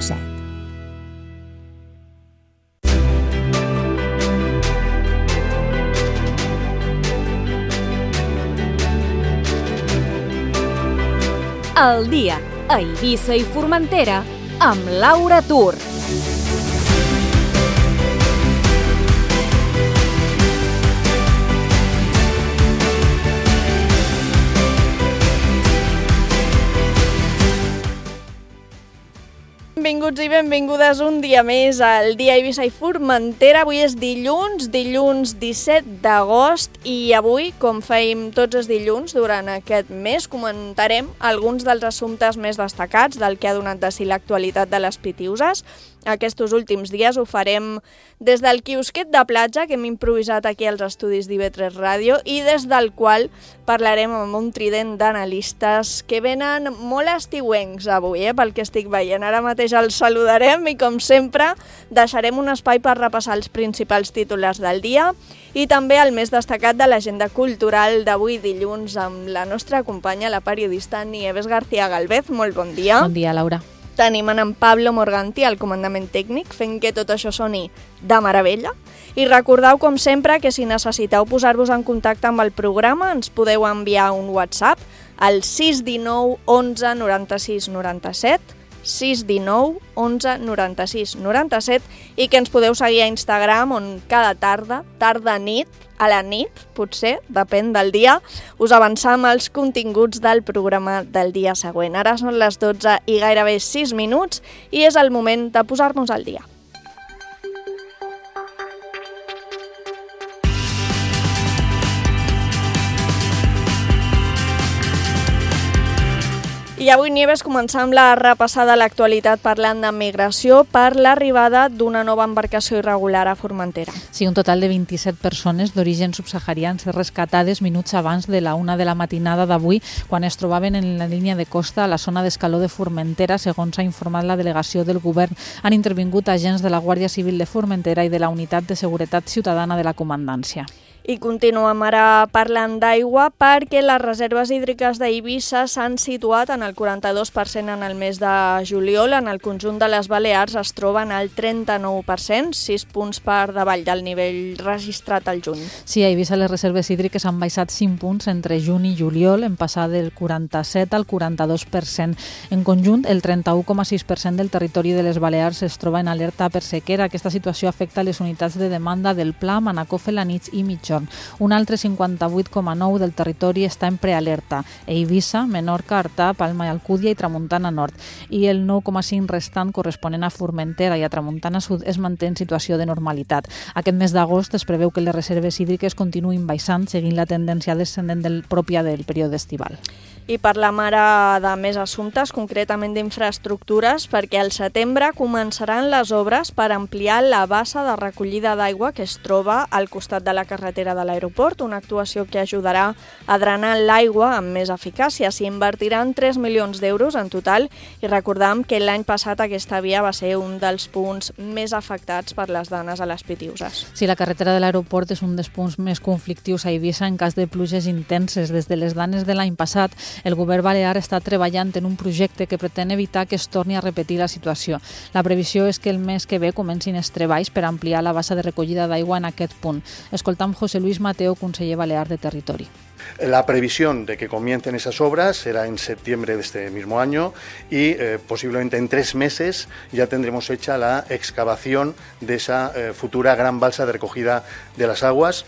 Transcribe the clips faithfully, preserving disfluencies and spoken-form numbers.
set. El dia a Eivissa i Formentera amb Laura Tur. Benvinguts i benvingudes un dia més al dia Eivissa i Formentera. Avui és dilluns, dilluns disset d'agost i avui, com fèiem tots els dilluns durant aquest mes, comentarem alguns dels assumptes més destacats del que ha donat de si l'actualitat de les Pitiüses. Aquests últims dies ho farem des del quiosquet de platja que hem improvisat aquí als estudis d'I V tres Ràdio i des del qual parlarem amb un trident d'analistes que venen molt estiuencs avui, eh, pel que estic veient. Ara mateix els saludarem i, com sempre, deixarem un espai per repassar els principals titulars del dia i també el més destacat de l'agenda cultural d'avui dilluns amb la nostra companya, la periodista Nieves García Galvez. Molt bon dia. Bon dia, Laura. Tenim en Pablo Morganti al comandament tècnic, fent que tot això soni de meravella. I recordeu, com sempre, que si necessiteu posar-vos en contacte amb el programa, ens podeu enviar un WhatsApp al sis uno nou onze noranta-sis noranta-set, sis uno nou onze noranta-sis noranta-set, i que ens podeu seguir a Instagram, on cada tarda, tarda-nit, a la nit, potser, depèn del dia, us avançam els continguts del programa del dia següent. Ara són les dotze i gairebé sis minuts i és el moment de posar-nos al dia. I avui, Nieves, començam la repassada a l'actualitat parlant de migració per l'arribada d'una nova embarcació irregular a Formentera. Sí, un total de vint-i-set persones d'origen subsaharians rescatades minuts abans de la una de la matinada d'avui, quan es trobaven en la línia de costa a la zona d'escaló de Formentera, segons ha informat la delegació del govern. Han intervingut agents de la Guàrdia Civil de Formentera i de la Unitat de Seguretat Ciutadana de la Comandància. I continuem ara parlant d'aigua perquè les reserves hídriques d'Eivissa s'han situat en el quaranta-dos per cent en el mes de juliol. En el conjunt de les Balears es troben al trenta-nou per cent, sis punts per davall del nivell registrat al juny. Sí, a Eivissa les reserves hídriques han baixat cinc punts entre juny i juliol, en passar del quaranta-set al quaranta-dos per cent. En conjunt, el trenta-u coma sis per cent del territori de les Balears es troba en alerta per sequera. Aquesta situació afecta les unitats de demanda del Pla, Manacor, Felanitx i Mitjó. Un altre cinquanta-vuit coma nou del territori està en prealerta: Eivissa, Menorca, Artà, Palma i Alcúdia i Tramuntana Nord. I el nou coma cinc restant, corresponent a Formentera i a Tramuntana Sud, es manté en situació de normalitat. Aquest mes d'agost es preveu que les reserves hídriques continuïn baixant, seguint la tendència descendent del, pròpia del període estival. I parlam ara de més assumptes, concretament d'infraestructures, perquè al setembre començaran les obres per ampliar la bassa de recollida d'aigua que es troba al costat de la carretera de l'aeroport, una actuació que ajudarà a drenar l'aigua amb més eficàcia. S'hi invertiran tres milions d'euros en total i recordam que l'any passat aquesta via va ser un dels punts més afectats per les danes a les Pitiüses. Sí, la carretera de l'aeroport és un dels punts més conflictius a Eivissa en cas de pluges intenses. Des de les danes de l'any passat, el govern balear està treballant en un projecte que pretén evitar que es torni a repetir la situació. La previsió és que el mes que ve comencin els treballs per ampliar la bassa de recollida d'aigua en aquest punt. Escoltam José Luis Mateo, conseller balear de Territori. La previsión de que comiencen esas obras será en septiembre de este mismo año y eh, posiblemente en tres meses ya tendremos hecha la excavación de esa eh, futura gran balsa de recogida de las aguas.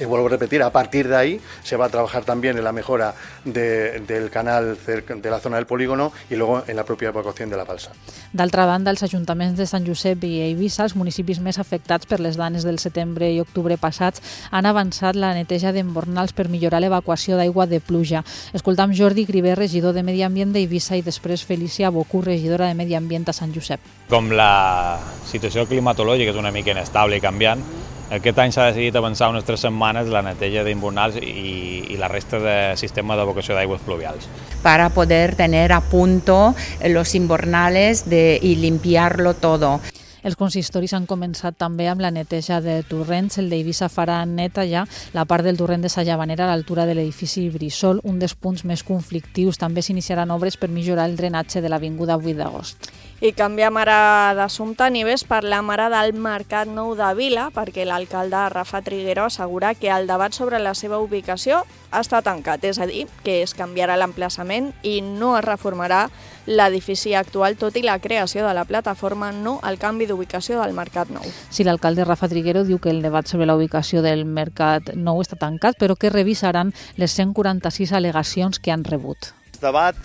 Y vuelvo a repetir, a partir de ahí se va a trabajar también en la mejora de, del canal cerca de la zona del polígono y luego en la propia evacuación de la balsa. D'altra banda, els ajuntaments de Sant Josep i Eivissa, els municipis més afectats per les danes del setembre i octubre passats, han avançat la neteja d'embornals per millorar l'evacuació d'aigua de pluja. Escoltam Jordi Griver, regidor de Medi Ambient d'Eivissa, i després Felícia Bocú, regidora de Medi Ambient a Sant Josep. Com la situació climatològica és una mica inestable i canviant, aquest any s'ha decidit avançar unes tres setmanes la neteja d'embornals i, i la resta de sistema d'evacuació d'aigües pluvials. Para poder tener a punto los invernales de, y limpiarlo todo. Els consistoris han començat també amb la neteja de torrents. El d'Eivissa farà neta ja la part del torrent de Sa Llavanera a l'altura de l'edifici Brissol, un dels punts més conflictius. També s'iniciaran obres per millorar el drenatge de l'avinguda vuit d'agost. I canviem ara d'assumpte, Nieves, per la mare del Mercat Nou de Vila, perquè l'alcalde Rafa Triguero assegura que el debat sobre la seva ubicació està tancat, és a dir, que es canviarà l'emplaçament i no es reformarà l'edifici actual, tot i la creació de la plataforma, no el canvi d'ubicació del Mercat Nou. Sí, l'alcalde Rafa Triguero diu que el debat sobre la ubicació del Mercat Nou està tancat, però que revisaran les cent quaranta-sis al·legacions que han rebut. El debat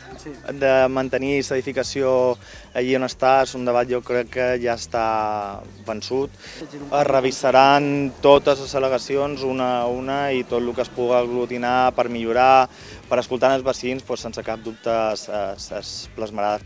de mantenir l'edificació allí on està és un debat, jo crec que ja està vençut. Es revisaran totes les al·legacions una a una i tot el que es pugui aglutinar per millorar, per escoltar els vecins, doncs, sense cap dubte es, es, es plasmarà.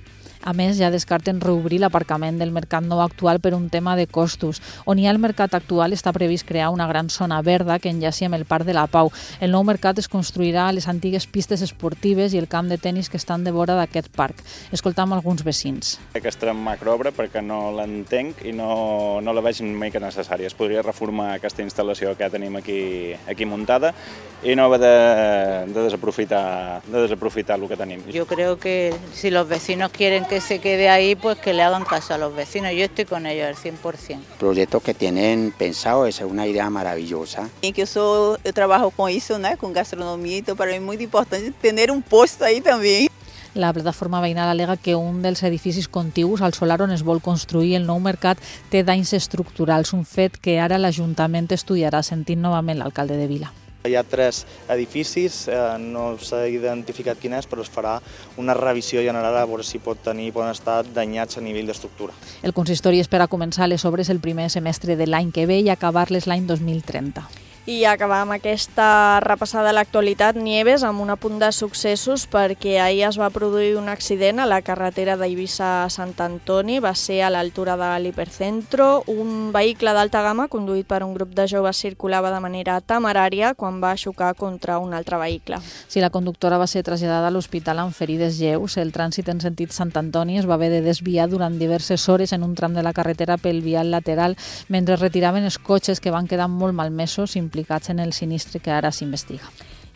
A més, ja descarten reobrir l'aparcament del Mercat Nou actual per un tema de costos. On hi ha el mercat actual està previst crear una gran zona verda que enllaci amb el Parc de la Pau. El nou mercat es construirà a les antigues pistes esportives i el camp de tennis que estan de vora d'aquest parc. Escoltam alguns vecins. Aquesta macroobra perquè no l'entenc i no, no la veig mica necessària. Es podria reformar aquesta instal·lació que ja tenim aquí, aquí muntada y no haver de, de, desaprofitar, de desaprofitar lo que tenim. Yo creo que si los vecinos quieren que se quede ahí, pues que le hagan caso a los vecinos. Yo estoy con ellos al cien por ciento. El proyecto que tienen pensado es una idea maravillosa. Y que yo, soy, yo trabajo con eso, ¿no? Con gastronomía y todo. Para mí es muy importante tener un puesto ahí también. La plataforma veïnal al·lega que un dels edificis contigus al solar on es vol construir el nou mercat té danys estructurals, un fet que ara l'Ajuntament estudiarà, sentint novament l'alcalde de Vila. Hi ha tres edificis, eh, no s'ha identificat quin és, però es farà una revisió general a veure si pot tenir, poden estar danyats a nivell d'estructura. El consistori espera començar les obres el primer semestre de l'any que ve i acabar-les l'any dos mil trenta. I acabam aquesta repassada a l'actualitat, Nieves, amb un apunt de successos perquè ahir es va produir un accident a la carretera d'Eivissa a Sant Antoni, va ser a l'altura de l'Hipercentro. Un vehicle d'alta gamma conduït per un grup de joves circulava de manera temerària quan va xocar contra un altre vehicle. Si la conductora va ser traslladada a l'hospital amb ferides lleus, el trànsit en sentit Sant Antoni es va haver de desviar durant diverses hores en un tram de la carretera pel vial lateral mentre retiraven els cotxes que van quedar molt malmesos implicats en el sinistre que ara s'investiga.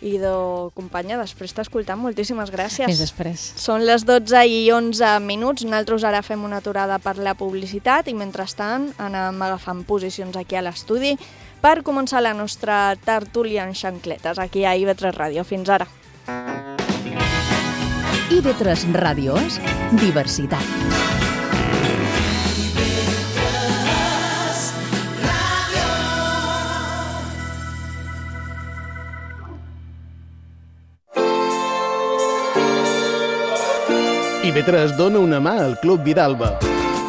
Idò, companya, després t'escoltam, moltíssimes gràcies. Fins després. Són les dotze i onze minuts, nosaltres ara fem una aturada per la publicitat i mentrestant anem agafant posicions aquí a l'estudi per començar la nostra tertúlia en xancletes aquí a I V tres Ràdio. Fins ara. I V tres Ràdio és diversitat. I V tres dona una mà al Club Vidalba,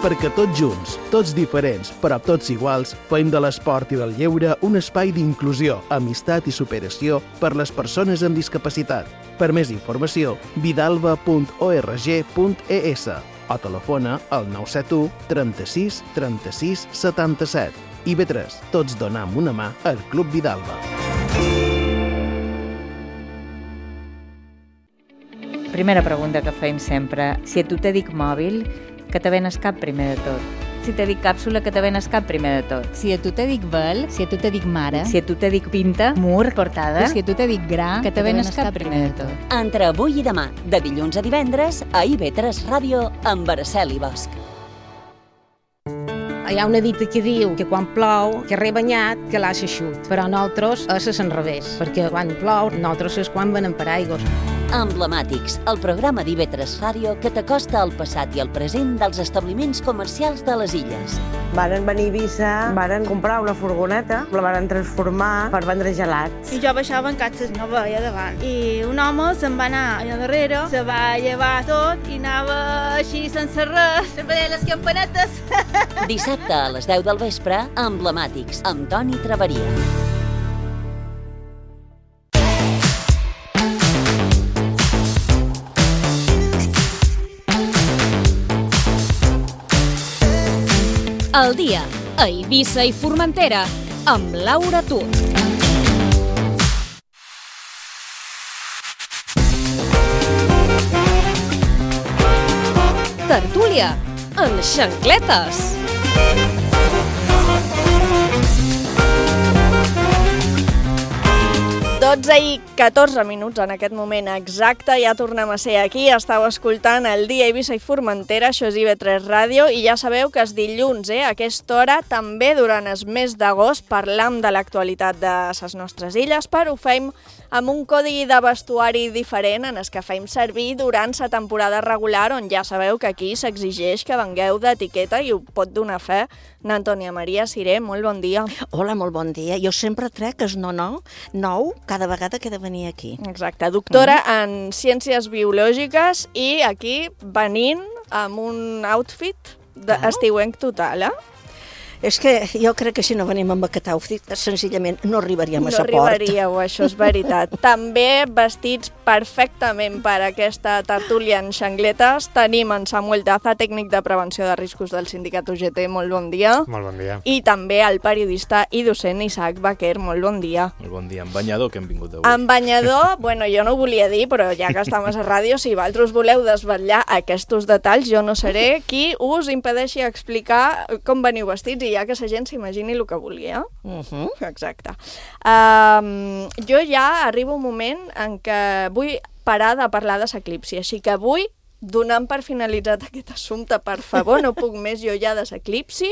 perquè tots junts, tots diferents, però tots iguals, fem de l'esport i del lleure un espai d'inclusió, amistat i superació per les persones amb discapacitat. Per més informació, vidalba punt org punt es o telefona al nou set u trenta-sis trenta-sis setanta-set. I V tres, tots donam una mà al Club Vidalba. Primera pregunta que fem sempre. Si a tu te dic mòbil, que te venes cap primer de tot? Si te dic càpsula, que te venes cap primer de tot? Si a tu te dic vel, si a tu te dic mare, si a tu te dic pinta, mur, portada, si a tu te dic gra, que te venes cap primer de tot? Entre avui i demà, de dilluns a divendres, a I V tres Ràdio, amb Araceli Bosch. Hi ha una dita que diu que quan plou, que rebanyat, que l'às eixut. Però nosaltres és al revés, perquè quan plou, nosaltres és quan venen paraigües. Emblemàtics, el programa d'I V tres Ràdio que t'acosta al passat i al present dels establiments comercials de les illes. Varen venir a Eivissa, varen comprar una furgoneta, la varen transformar per vendre gelats. I jo baixava en catxes, no veia davant. I un home se'n va anar allà darrere, se va llevar tot i anava així sense res, sempre deia les campanetes. Dissabte a les deu del vespre, Emblemàtics, amb Toni Traveria. El dia a Eivissa i Formentera amb Laura Tur. Tertúlia en xancletes. dotze i catorze minuts en aquest moment exacte, ja tornem a ser aquí, estàu escoltant el Dia Eivissa i Formentera, això és I V tres Ràdio, i ja sabeu que és dilluns, eh? A aquesta hora, també durant el mes d'agost, parlam de l'actualitat de les nostres illes, però ho fem amb un codi de vestuari diferent en el que fem servir durant la temporada regular, on ja sabeu que aquí s'exigeix que vengueu d'etiqueta i ho pot donar fe n'Antònia Maria Siré. Molt bon dia. Hola, molt bon dia. Jo sempre trec el no, no, nou cada vegada que he de venir aquí. Exacte, doctora mm. en Ciències Biològiques i aquí venint amb un outfit d'estiuenc total, eh? És que jo crec que si no venim amb aquest outfit, senzillament no arribaríem a sa port. No arribaríeu, això és veritat. També vestits perfectament per aquesta tertúlia en xangletes tenim en Samuel Daza, tècnic de prevenció de riscos del sindicat U G T. Molt bon dia. Molt bon dia. I també el periodista i docent Isaac Baquer. Molt bon dia. Molt bon dia. En banyador que hem vingut d'avui. En banyador, bueno, jo no ho volia dir, però ja que estem a la ràdio, si vosaltres voleu desvetllar aquests detalls, jo no seré qui us impedeixi explicar com veniu vestits i ja que la gent s'imagini el que vulgui, eh? Uh-huh. Exacte. Um, jo ja arribo un moment en què vull parar de parlar de l'eclipsi, així que avui, donant per finalitzat aquest assumpte, per favor, no puc més jo ja de l'eclipsi,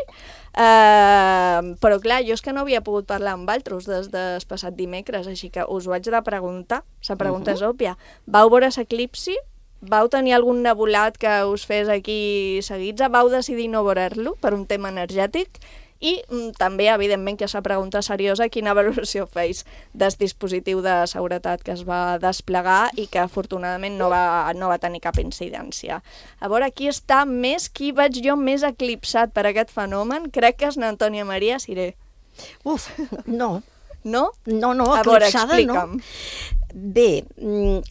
uh, però clar, jo és que no havia pogut parlar amb altres des del passat dimecres, així que us ho haig de preguntar, la pregunta uh-huh. és òbvia. Vau veure l'eclipsi? Vau tenir algun nebulat que us fes aquí seguits? Vau decidir no veure-lo per un tema energètic? I mm, també, evidentment, que és la pregunta seriosa, quina valoració feis del dispositiu de seguretat que es va desplegar i que afortunadament no va, no va tenir cap incidència. A veure, qui està més, qui veig jo més eclipsat per aquest fenomen? Crec que és n'Antònia Maria Siré. Uf, no. No? No, no, a veure, eclipsada explica'm. no. Bé,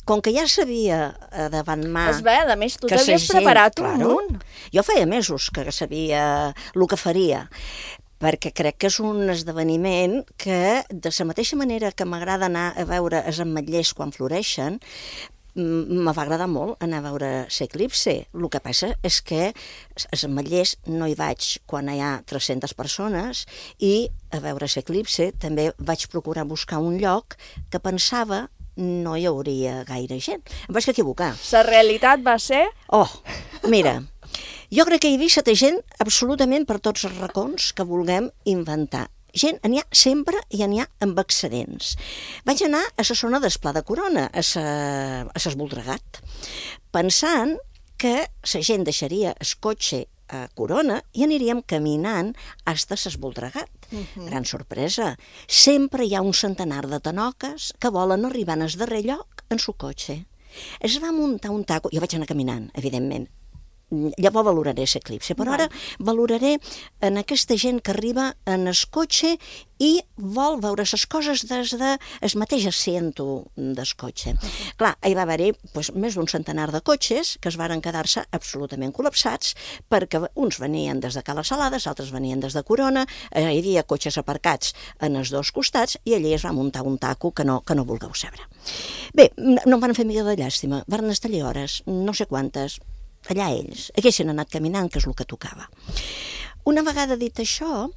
com que ja sabia davant mà... És bé, a més, tu t'havies preparat un claro, munt. Jo feia mesos que sabia el que faria, perquè crec que és un esdeveniment que, de la mateixa manera que m'agrada anar a veure els ametllers quan floreixen, me va agradar molt anar a veure l'eclipsi. El que passa és que als ametllers no hi vaig quan hi ha tres-centes persones i a veure l'eclipsi també vaig procurar buscar un lloc que pensava no hi hauria gaire gent. Em vaig equivocar. La realitat va ser... Oh, mira, jo crec que hi havia té gent absolutament per tots els racons que vulguem inventar. Gent, n'hi ha sempre i n'hi ha amb excedents. Vaig anar a la zona del Pla de Corona, a s'Esvoldregat, pensant que la gent deixaria el cotxe a Corona i aniríem caminant fins a s'Esvoldregat. Uh-huh. Gran sorpresa. Sempre hi ha un centenar de tanoques que volen arribar al darrer lloc en su cotxe. Es va muntar un taco, jo vaig anar caminant, evidentment. Llavors valoraré l'eclipsi, però ara valoraré en aquesta gent que arriba en el cotxe i vol veure les coses des del mateix asiento del cotxe. Clar, hi va haver-hi doncs, més d'un centenar de cotxes que es varen quedar-se absolutament col·lapsats perquè uns venien des de Cala Salades, altres venien des de Corona, hi havia cotxes aparcats en els dos costats i allí es va muntar un taco que no, que no vulgueu saber. Bé, no em van fer mica de llàstima, varen estar allà hores, no sé quantes, allà ells, haguessin anat caminant, que és el que tocava. Una vegada dit això,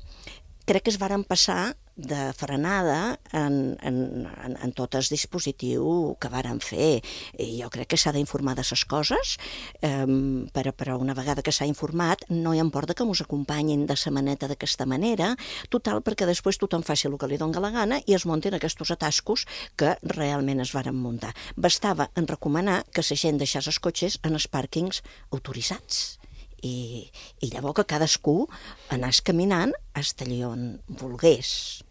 crec que es varen passar de frenada en, en, en, en tot el dispositiu que varen fer. I jo crec que s'ha d'informar de les coses, eh, però, però una vegada que s'ha informat no hi importa que mos acompanyin de la maneta d'aquesta manera, total perquè després tothom faci el que li doni la gana i es muntin aquests atascos que realment es varen muntar. Bastava en recomanar que la gent deixés els cotxes en els pàrquings autoritzats. I, i llavors que cadascú anàs caminant fins allà on volgués,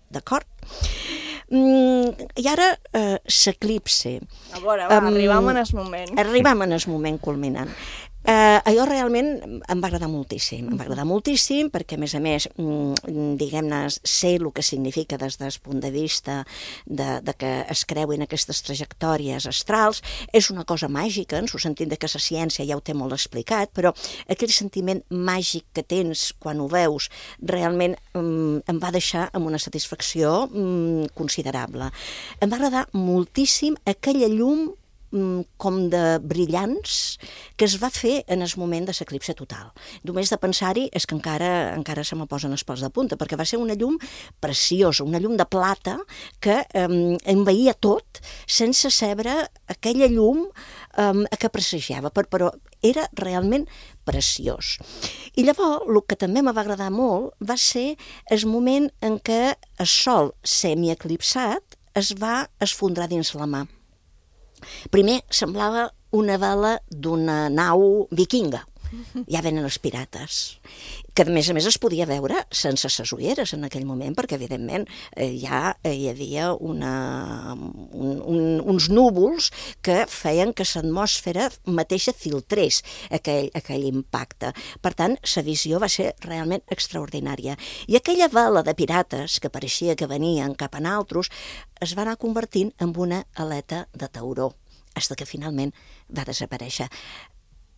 d'acord? Mm, I ara eh, l'eclipsi. A veure, va, um, arribam en el moment. Arribam en el moment culminant. Eh, allò realment em va agradar moltíssim, em va agradar moltíssim perquè, a més a més, diguem-ne, sé el que significa des del punt de vista de, de que es creuin aquestes trajectòries astrals. És una cosa màgica, en el sentit de que la ciència ja ho té molt explicat, però aquell sentiment màgic que tens quan ho veus realment um, em va deixar amb una satisfacció um, considerable. Em va agradar moltíssim aquella llum com de brillants que es va fer en el moment de l'eclipse total. Només de pensar-hi és que encara encara se me posen els pèls de punta, perquè va ser una llum preciosa, una llum de plata que eh, envaïa tot sense saber aquella llum eh, que presagiava, però era realment preciós. I llavors, el que també me va agradar molt va ser el moment en què el sol semieclipsat es va esfondrar dins la mà. Primer semblava una vela d'una nau vikinga. Ja venen els pirates, que a més a més es podia veure sense ses ulleres en aquell moment, perquè evidentment eh, ja eh, hi havia una, un, un, uns núvols que feien que l'atmosfera mateixa filtrés aquell, aquell impacte. Per tant, la visió va ser realment extraordinària. I aquella vela de pirates que pareixia que venien cap a naltros es va anar convertint en una aleta de tauró, fins que finalment va desaparèixer.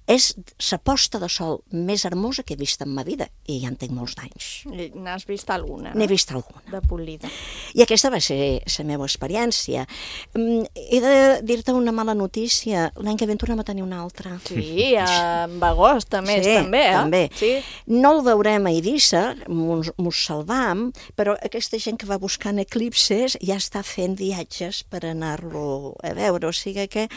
És la posta de sol més hermosa que he vist en ma vida, i ja en tinc molts d'anys. N'has vist alguna? N'he vist alguna. De polida. I aquesta va ser la meva experiència. He de dir-te una mala notícia. L'any que ve en tornem a tenir una altra. Sí, en agost, a més, sí, també, eh? també. Sí. No el veurem a Eivissa, mos salvam, però aquesta gent que va buscant eclipses ja està fent viatges per anar-lo a veure. O sigui que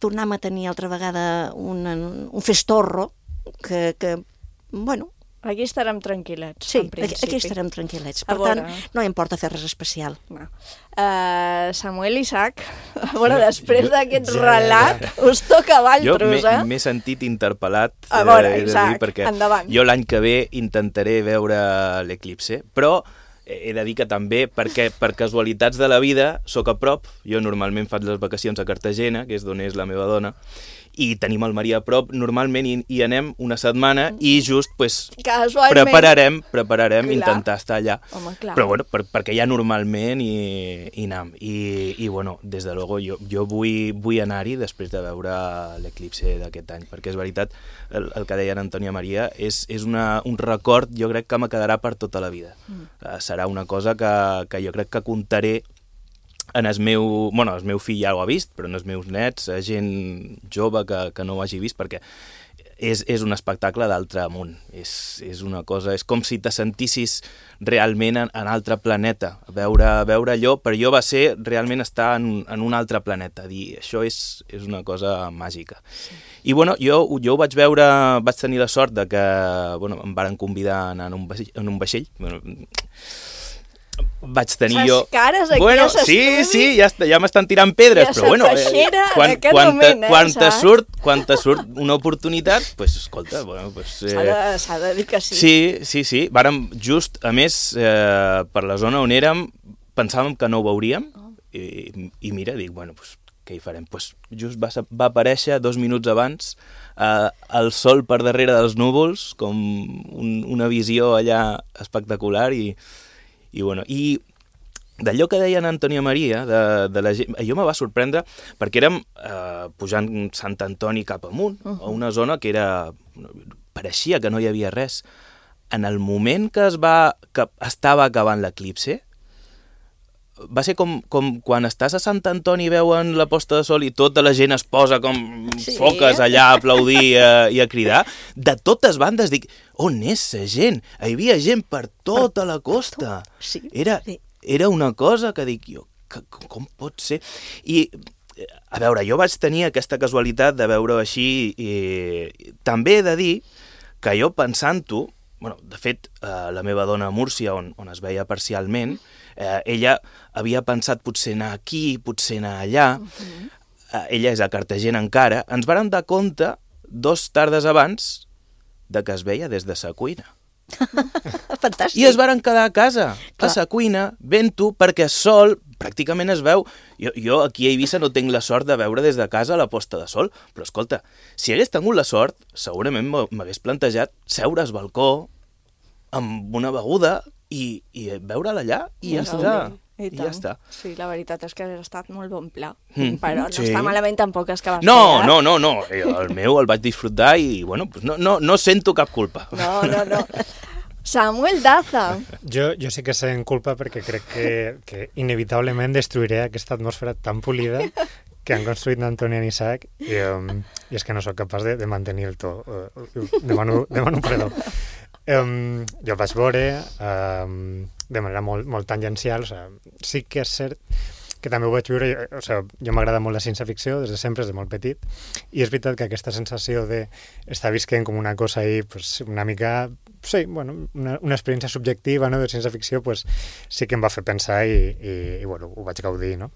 tornem a tenir altra vegada una un festorro que, que, bueno... Aquí estarem tranquil·lets, sí, en principi. Aquí estarem tranquil·lets. Per tant, no importa fer res especial. No. Uh, Samuel Isaac, a veure, després d'aquest ja, relat, ja, ja. us toca a Valtros, eh? Jo m'he sentit interpel·lat, a veure, eh, Isaac, dir, perquè endavant. Jo l'any que ve intentaré veure l'eclipse, però he de dir que també, perquè per casualitats de la vida, soc a prop, jo normalment faig les vacacions a Cartagena, que és d'on és la meva dona, i tenim el marí a prop, normalment hi, hi anem una setmana i just pues, prepararem, prepararem intentar estar allà. Home, però bueno, per, perquè ja normalment hi, hi anem. I, i bueno, des de luego jo, jo vull, vull anar-hi després de veure l'eclipse d'aquest any, perquè és veritat, el, el que deia en Antònia Maria, és, és una, un record, jo crec que me quedarà per tota la vida. Mm. Uh, serà una cosa que, que jo crec que contaré en el meu... Bueno, el meu fill ja ho ha vist, però en els meus nets, gent jove que, que no ho hagi vist, perquè és, és un espectacle d'altre món. És, és una cosa... És com si te sentissis realment en, en altre planeta. Veure, veure allò, per jo va ser realment estar en, en un altre planeta. Dir, això és, és una cosa màgica. Sí. I bueno, jo, jo ho vaig veure... Vaig tenir la sort de que bueno, em varen convidar a anar en un vaixell. En un vaixell. Bueno, vaig tenir jo... Les cares aquí bueno, a s'estudi... Sí, sí, ja, ja m'estan tirant pedres, però bueno, eh, quan, quan, moment, eh, quan, te surt, quan te surt una oportunitat, doncs, pues, escolta, bueno, pues, eh, s'ha de, s'ha de dir que sí. Sí, sí, sí. Vàrem just, a més, eh, per la zona on érem, pensàvem que no ho veuríem, oh. i, i mira, dic, bueno, pues, què hi farem? Pues, just va, va aparèixer dos minuts abans eh, el sol per darrere dels núvols, com un, una visió allà espectacular, i I, bueno, i d'allò que deia en Antònia Maria, de, de la gent, jo me va sorprendre perquè érem eh, pujant Sant Antoni cap amunt, uh-huh. a una zona que era... pareixia que no hi havia res. En el moment que es va que estava acabant l'eclipse, va ser com, com quan estàs a Sant Antoni i veuen la posta de sol i tota la gent es posa com sí. foques allà a aplaudir eh, i a cridar. De totes bandes dic, on és la gent? Hi havia gent per tota la costa. Sí, era, sí. era una cosa que dic jo, que, com pot ser? I, a veure, jo vaig tenir aquesta casualitat de veure així i també he de dir que jo pensant-ho, bueno, de fet, eh, la meva dona a Múrcia, on, on es veia parcialment, Eh, ella havia pensat potser anar aquí, potser anar allà. Uh-huh. eh, ella és a Cartagena encara. Ens vàrem dar compte dos tardes abans de que es veia des de sa cuina. Fantàstic. I es varen quedar a casa, Clar. a sa cuina, vent-ho, perquè sol pràcticament es veu. Jo, jo aquí a Eivissa no tinc la sort de veure des de casa la posta de sol, però escolta, si hagués tingut la sort, segurament m'hagués plantejat seure al balcó amb una beguda i, i veure-la allà i ja està. I, I ja està. Sí, la veritat és que ha estat molt bon pla. Mm. Però no sí. està malament tampoc és que vas no, fer. No, no, no. El meu el vaig disfrutar i, bueno, pues no, no, no sento cap culpa. No, no, no. Samuel Daza. Jo, jo sí que sent culpa perquè crec que, que inevitablement destruiré aquesta atmosfera tan polida que han construït d'Antoni en Isaac i, um, i és que no sóc capaç de, de mantenir el to. Uh, demano, demano perdó. Um, jo el vaig veure um, de manera molt, molt tangencial. O sigui, sí que és cert que també ho vaig viure, o sigui, jo m'agrada molt la ciència-ficció des de sempre, des de molt petit, i és veritat que aquesta sensació d'estar visquent com una cosa ahí, pues, una mica, sí, bueno, una, una experiència subjectiva, no?, de ciència-ficció, pues, sí que em va fer pensar i, i, i bueno, ho vaig gaudir, no?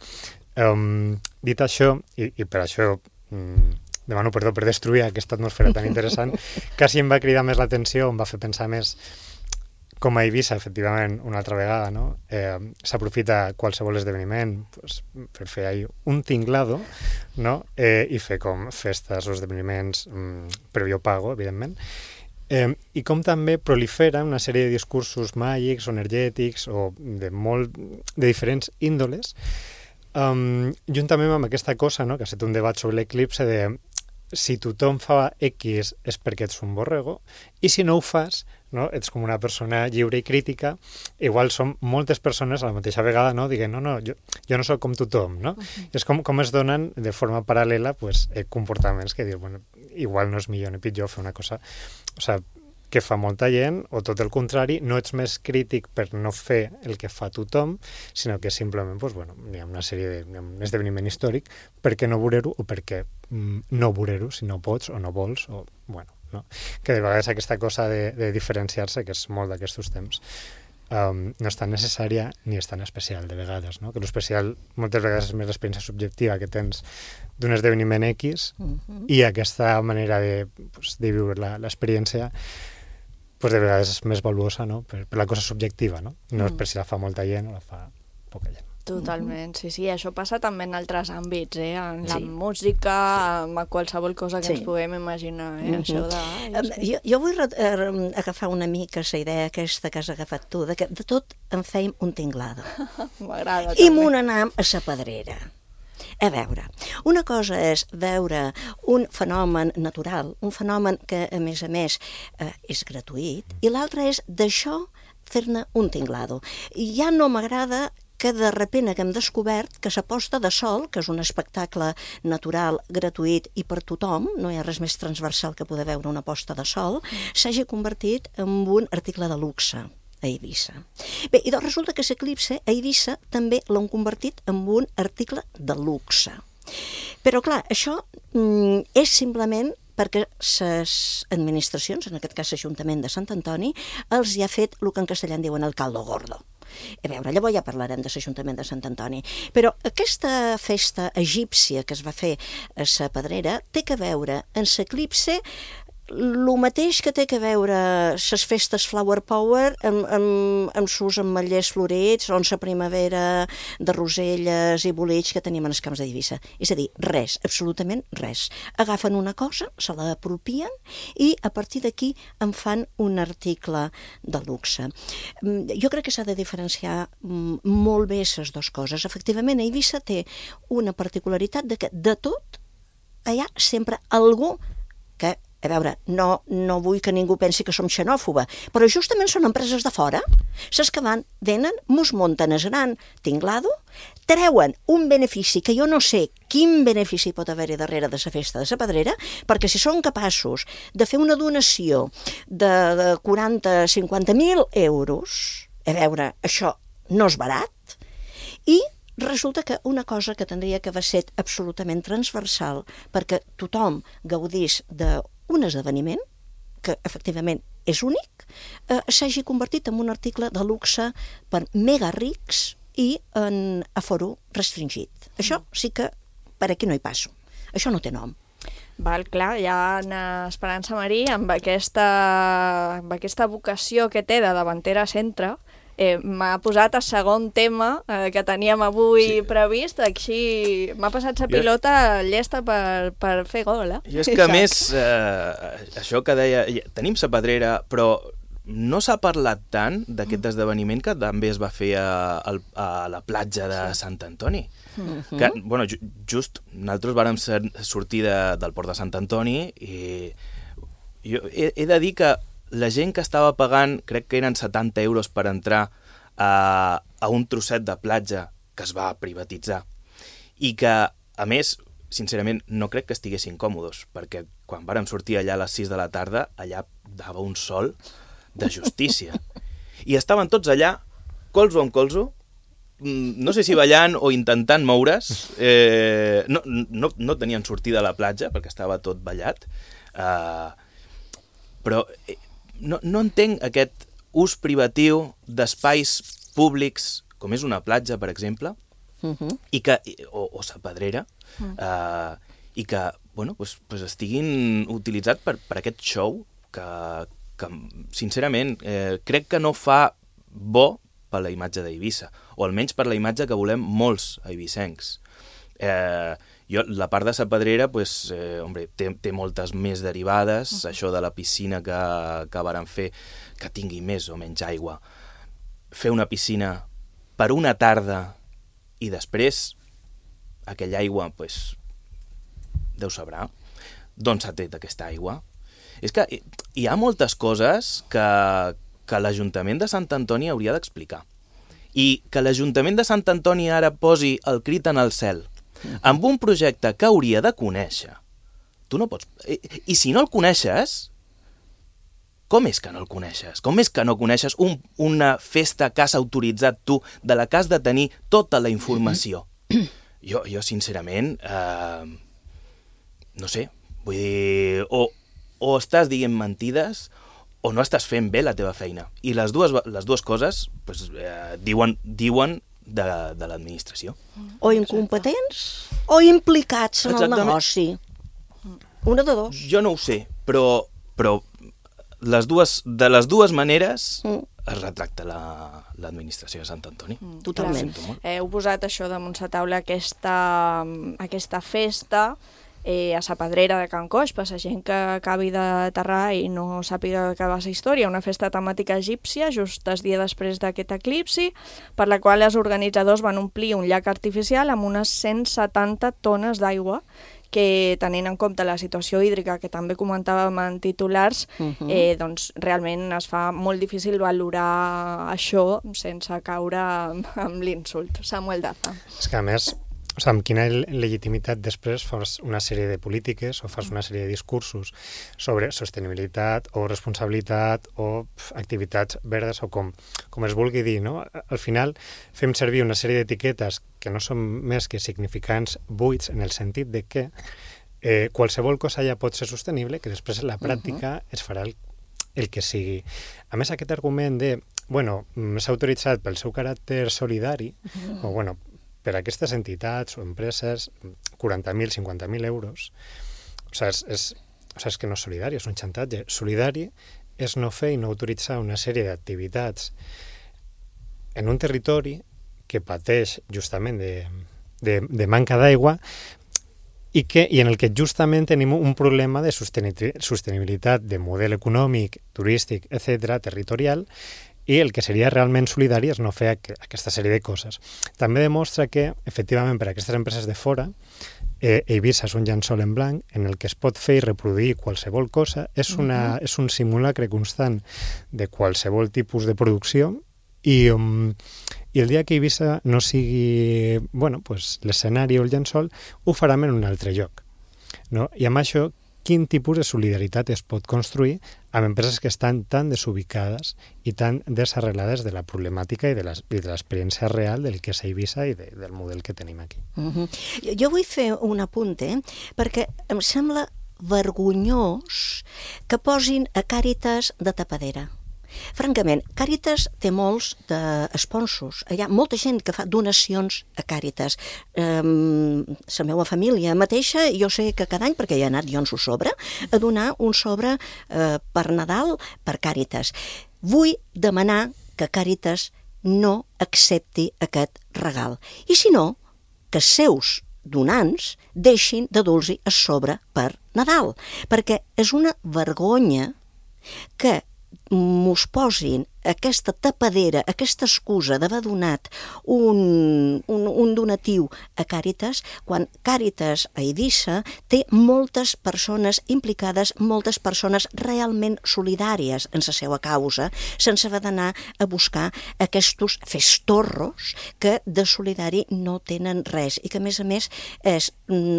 Um, dit això, i, i per això um, demano perdó per destruir aquesta atmosfera tan interessant, quasi em va cridar més l'atenció, em va fer pensar més com a Eivissa, efectivament, una altra vegada, no? Eh, s'aprofita qualsevol esdeveniment pues, per fer ahí un tinglado, no? Eh, i fer com festes o esdeveniments mm, previo pago, evidentment. Eh, I com també prolifera una sèrie de discursos màgics o energètics o de, molt, de diferents índoles, um, juntament amb aquesta cosa, no?, que ha estat un debat sobre l'eclipse de si tothom fa X és perquè ets un borrego, i si no ho fas, no, ets com una persona lliure i crítica, igual som moltes persones a la mateixa vegada, no, diguent, no, no, jo, jo no sóc com tothom, no? Uh-huh. És com, com es donen de forma paral·lela pues, eh, comportaments que dius, bueno, igual no és millor ni pitjor fer una cosa, o sigui, que fa molta gent, o tot el contrari, no ets més crític per no fer el que fa tothom, sinó que simplement pues, bueno, hi ha una sèrie de, hi ha un esdeveniment històric, per què no veure-ho o per què mm, no veure-ho si no pots o no vols, o bueno, no? Que de vegades aquesta cosa de, de diferenciar-se, que és molt d'aquests temps, um, no és tan necessària ni és tan especial de vegades, no? Que l'especial moltes vegades és més l'experiència subjectiva que tens d'un esdeveniment X uh-huh. i aquesta manera de, pues, de viure l'experiència pues de vegades és més valuosa, no? Per, per la cosa subjectiva, no? No és per si la fa molta gent o la fa poca gent. Totalment, sí, sí. Això passa també en altres àmbits, eh? En la Sí. música, en qualsevol cosa que Sí. ens puguem imaginar, eh? Mhm. Això de... Ai, Em, sí. jo, jo vull re- eh, agafar una mica la idea aquesta que has agafat tu, de que de tot en fèiem un tinglado. M'agrada I també. m'ho anàvem a la pedrera. A veure, una cosa és veure un fenomen natural, un fenomen que, a més a més, eh, és gratuït, i l'altra és d'això fer-ne un tinglado. I ja no m'agrada que de repente que hem descobert que la posta de sol, que és un espectacle natural, gratuït i per tothom, no hi ha res més transversal que poder veure una posta de sol, s'hagi convertit en un article de luxe a Eivissa. Bé, i doncs resulta que l'eclipse a Eivissa també l'han convertit en un article de luxe. Però clar, això mm, és simplement perquè les administracions, en aquest cas l'Ajuntament de Sant Antoni, els hi ha fet el que en castellà en diuen el caldo gordo. A veure, llavors ja parlarem de l'Ajuntament de Sant Antoni, però aquesta festa egípcia que es va fer a la Pedrera té que veure en l'eclipse el mateix que té que veure les festes Flower Power amb, amb, amb sus ametllers florits o en la primavera de roselles i bolets que tenim en els camps d'Eivissa. És a dir, res, absolutament res. Agafen una cosa, se la apropien i a partir d'aquí en fan un article de luxe. Jo crec que s'ha de diferenciar molt bé les dues coses. Efectivament, Eivissa té una particularitat de que de tot hi ha sempre algú que, a veure, no, no vull que ningú pensi que som xenòfoba, però justament són empreses de fora, les que van, venen, mos munten el gran tinglado, treuen un benefici que jo no sé quin benefici pot haver-hi darrere de la festa de la Pedrera, perquè si són capaços de fer una donació de, de quaranta a cinquanta mil euros, a veure, això no és barat, i resulta que una cosa que tindria que haver set absolutament transversal perquè tothom gaudís d'un esdeveniment, que efectivament és únic, eh, s'hagi convertit en un article de luxe per mega rics i en aforo restringit. Això sí que per aquí no hi passo. Això no té nom. Val, clar, ja en Esperança Marí, amb aquesta, amb aquesta vocació que té de davantera centre, eh, m'ha posat el segon tema eh, que teníem avui sí. previst, així m'ha passat la pilota llesta per, per fer gol, eh? I és que a més, eh, això que deia, tenim la Pedrera, però no s'ha parlat tant d'aquest esdeveniment que també es va fer a, a la platja de Sant Antoni. Mm-hmm. Que, bueno, just nosaltres vàrem sortir de, del port de Sant Antoni i jo he, he de dir que la gent que estava pagant, crec que eren setanta euros per entrar a, a un trosset de platja que es va privatitzar i que a més, sincerament, no crec que estiguessin còmodes, perquè quan vàrem sortir allà a les sis de la tarda, allà dava un sol de justícia. I estaven tots allà, colzo amb colzo, no sé si ballant o intentant moure's, eh, no, no, no tenien sortida a la platja, perquè estava tot ballat, eh, però eh, no, no entenc aquest ús privatiu d'espais públics, com és una platja, per exemple, Uh-huh. i que, o, o sa pedrera, uh-huh. uh, i que bueno, pues, pues estiguin utilitzats per, per aquest show que, que sincerament, eh, crec que no fa bo per la imatge d'Eivissa, o almenys per la imatge que volem molts eivissencs. Eh, jo, la part de sa pedrera, pues, eh, hombre, té, té moltes més derivades, uh-huh. això de la piscina que, que varen fer, que tingui més o menys aigua. Fer una piscina per una tarda i després aquella aigua, pues, Déu sabrà d'on s'ha tret aquesta aigua. És que hi ha moltes coses que, que l'Ajuntament de Sant Antoni hauria d'explicar. I que l'Ajuntament de Sant Antoni ara posi el crit en el cel amb un projecte que hauria de conèixer. Tu no pots... I, i si no el coneixes, com és que no el coneixes? Com és que no coneixes un, una festa que has autoritzat tu, de la que has de tenir tota la informació? Jo, jo sincerament, eh, no sé, vull dir, o, o estàs dient mentides o no estàs fent bé la teva feina. I les dues, les dues coses pues, eh, diuen, diuen de, de l'administració. O incompetents o implicats en Exactament. El negoci. Una de dos. Jo no ho sé, però... però Les dues, de les dues maneres mm. es retracta la, l'administració de Sant Antoni. Mm, totalment. Eh, heu posat això damunt la taula, aquesta, aquesta festa eh, a la pedrera de Can Coix, per la gent que acabi d'aterrar i no sàpiga de què va la història, una festa temàtica egípcia, just el dia després d'aquest eclipsi, per la qual els organitzadors van omplir un llac artificial amb unes cent setanta tones d'aigua, que tenint en compte la situació hídrica que també comentàvem en titulars, uh-huh. eh, doncs realment es fa molt difícil valorar això sense caure amb l'insult. Samuel Daza. És que a més, o sigui, amb quina legitimitat després fas una sèrie de polítiques o fas una sèrie de discursos sobre sostenibilitat o responsabilitat o pf, activitats verdes o com, com es vulgui dir, no? Al final fem servir una sèrie d'etiquetes que no són més que significants buits en el sentit de que eh, qualsevol cosa ja pot ser sostenible, que després en la pràctica uh-huh. es farà el, el que sigui. A més, aquest argument de, bueno, s'ha autoritzat pel seu caràcter solidari, uh-huh. o bueno, per a aquestes entitats o empreses, quaranta mil, cinquanta mil euros, o sigui, és, és, o sigui, és que no és solidari, és un xantatge. Solidari és no fer i no autoritzar una sèrie d'activitats en un territori que pateix justament de, de, de manca d'aigua i, que, i en el que justament tenim un problema de sostenibilitat de model econòmic, turístic, etcètera, territorial, i el que seria realment solidari és no fer aquesta sèrie de coses. També demostra que, efectivament, per a aquestes empreses de fora, eh, Eivissa és un llençol en blanc en el que es pot fer i reproduir qualsevol cosa, és, una, uh-huh. és un simulacre constant de qualsevol tipus de producció i, um, i el dia que Eivissa no sigui bueno, pues, l'escenari o el llençol, ho farem en un altre lloc. No? I amb això, quin tipus de solidaritat es pot construir amb empreses que estan tan desubicades i tan desarrelades de la problemàtica i de l'experiència real del que és Eivissa i de, del model que tenim aquí. Uh-huh. Jo vull fer un apunt, eh? perquè em sembla vergonyós que posin a Càritas de tapadera. Francament, Càritas té molts de sponsors. Hi ha molta gent que fa donacions a Càritas. Um, la meva família mateixa, jo sé que cada any, perquè hi ha anat jo en su sobre, a donar un sobre uh, per Nadal per Càritas. Vull demanar que Càritas no accepti aquest regal. I si no, que els seus donants deixin de dur-los a sobre per Nadal. Perquè és una vergonya que mos posin aquesta tapadera, aquesta excusa d'haver donat un, un, un donatiu a Càritas, quan Càritas a Eivissa té moltes persones implicades, moltes persones realment solidàries en la seva causa, sense haver d'anar a buscar aquests festorros que de solidari no tenen res i que, a més a més, és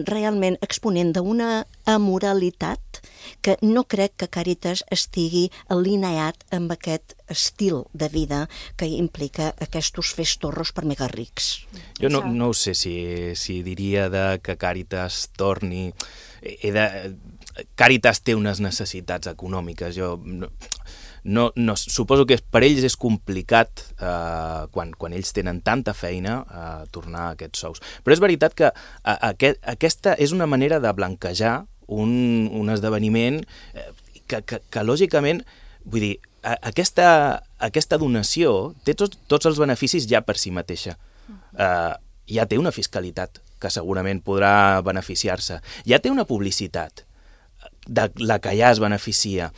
realment exponent d'una amoralitat que no crec que Càritas estigui alineat amb aquest estil de vida que implica aquests festorros per mega rics. Jo no, no ho sé si, si diria de que Càritas torni... He de... Càritas té unes necessitats econòmiques. Jo no, no, no, suposo que per ells és complicat, eh, quan, quan ells tenen tanta feina, eh, tornar a aquests sous. Però és veritat que a, a, aquesta és una manera de blanquejar un, un esdeveniment eh, que, que, que lògicament, vull dir, a, aquesta, aquesta donació té tots, tots els beneficis ja per si mateixa. Eh, ja té una fiscalitat que segurament podrà beneficiar-se. Ja té una publicitat de la que ja es beneficia.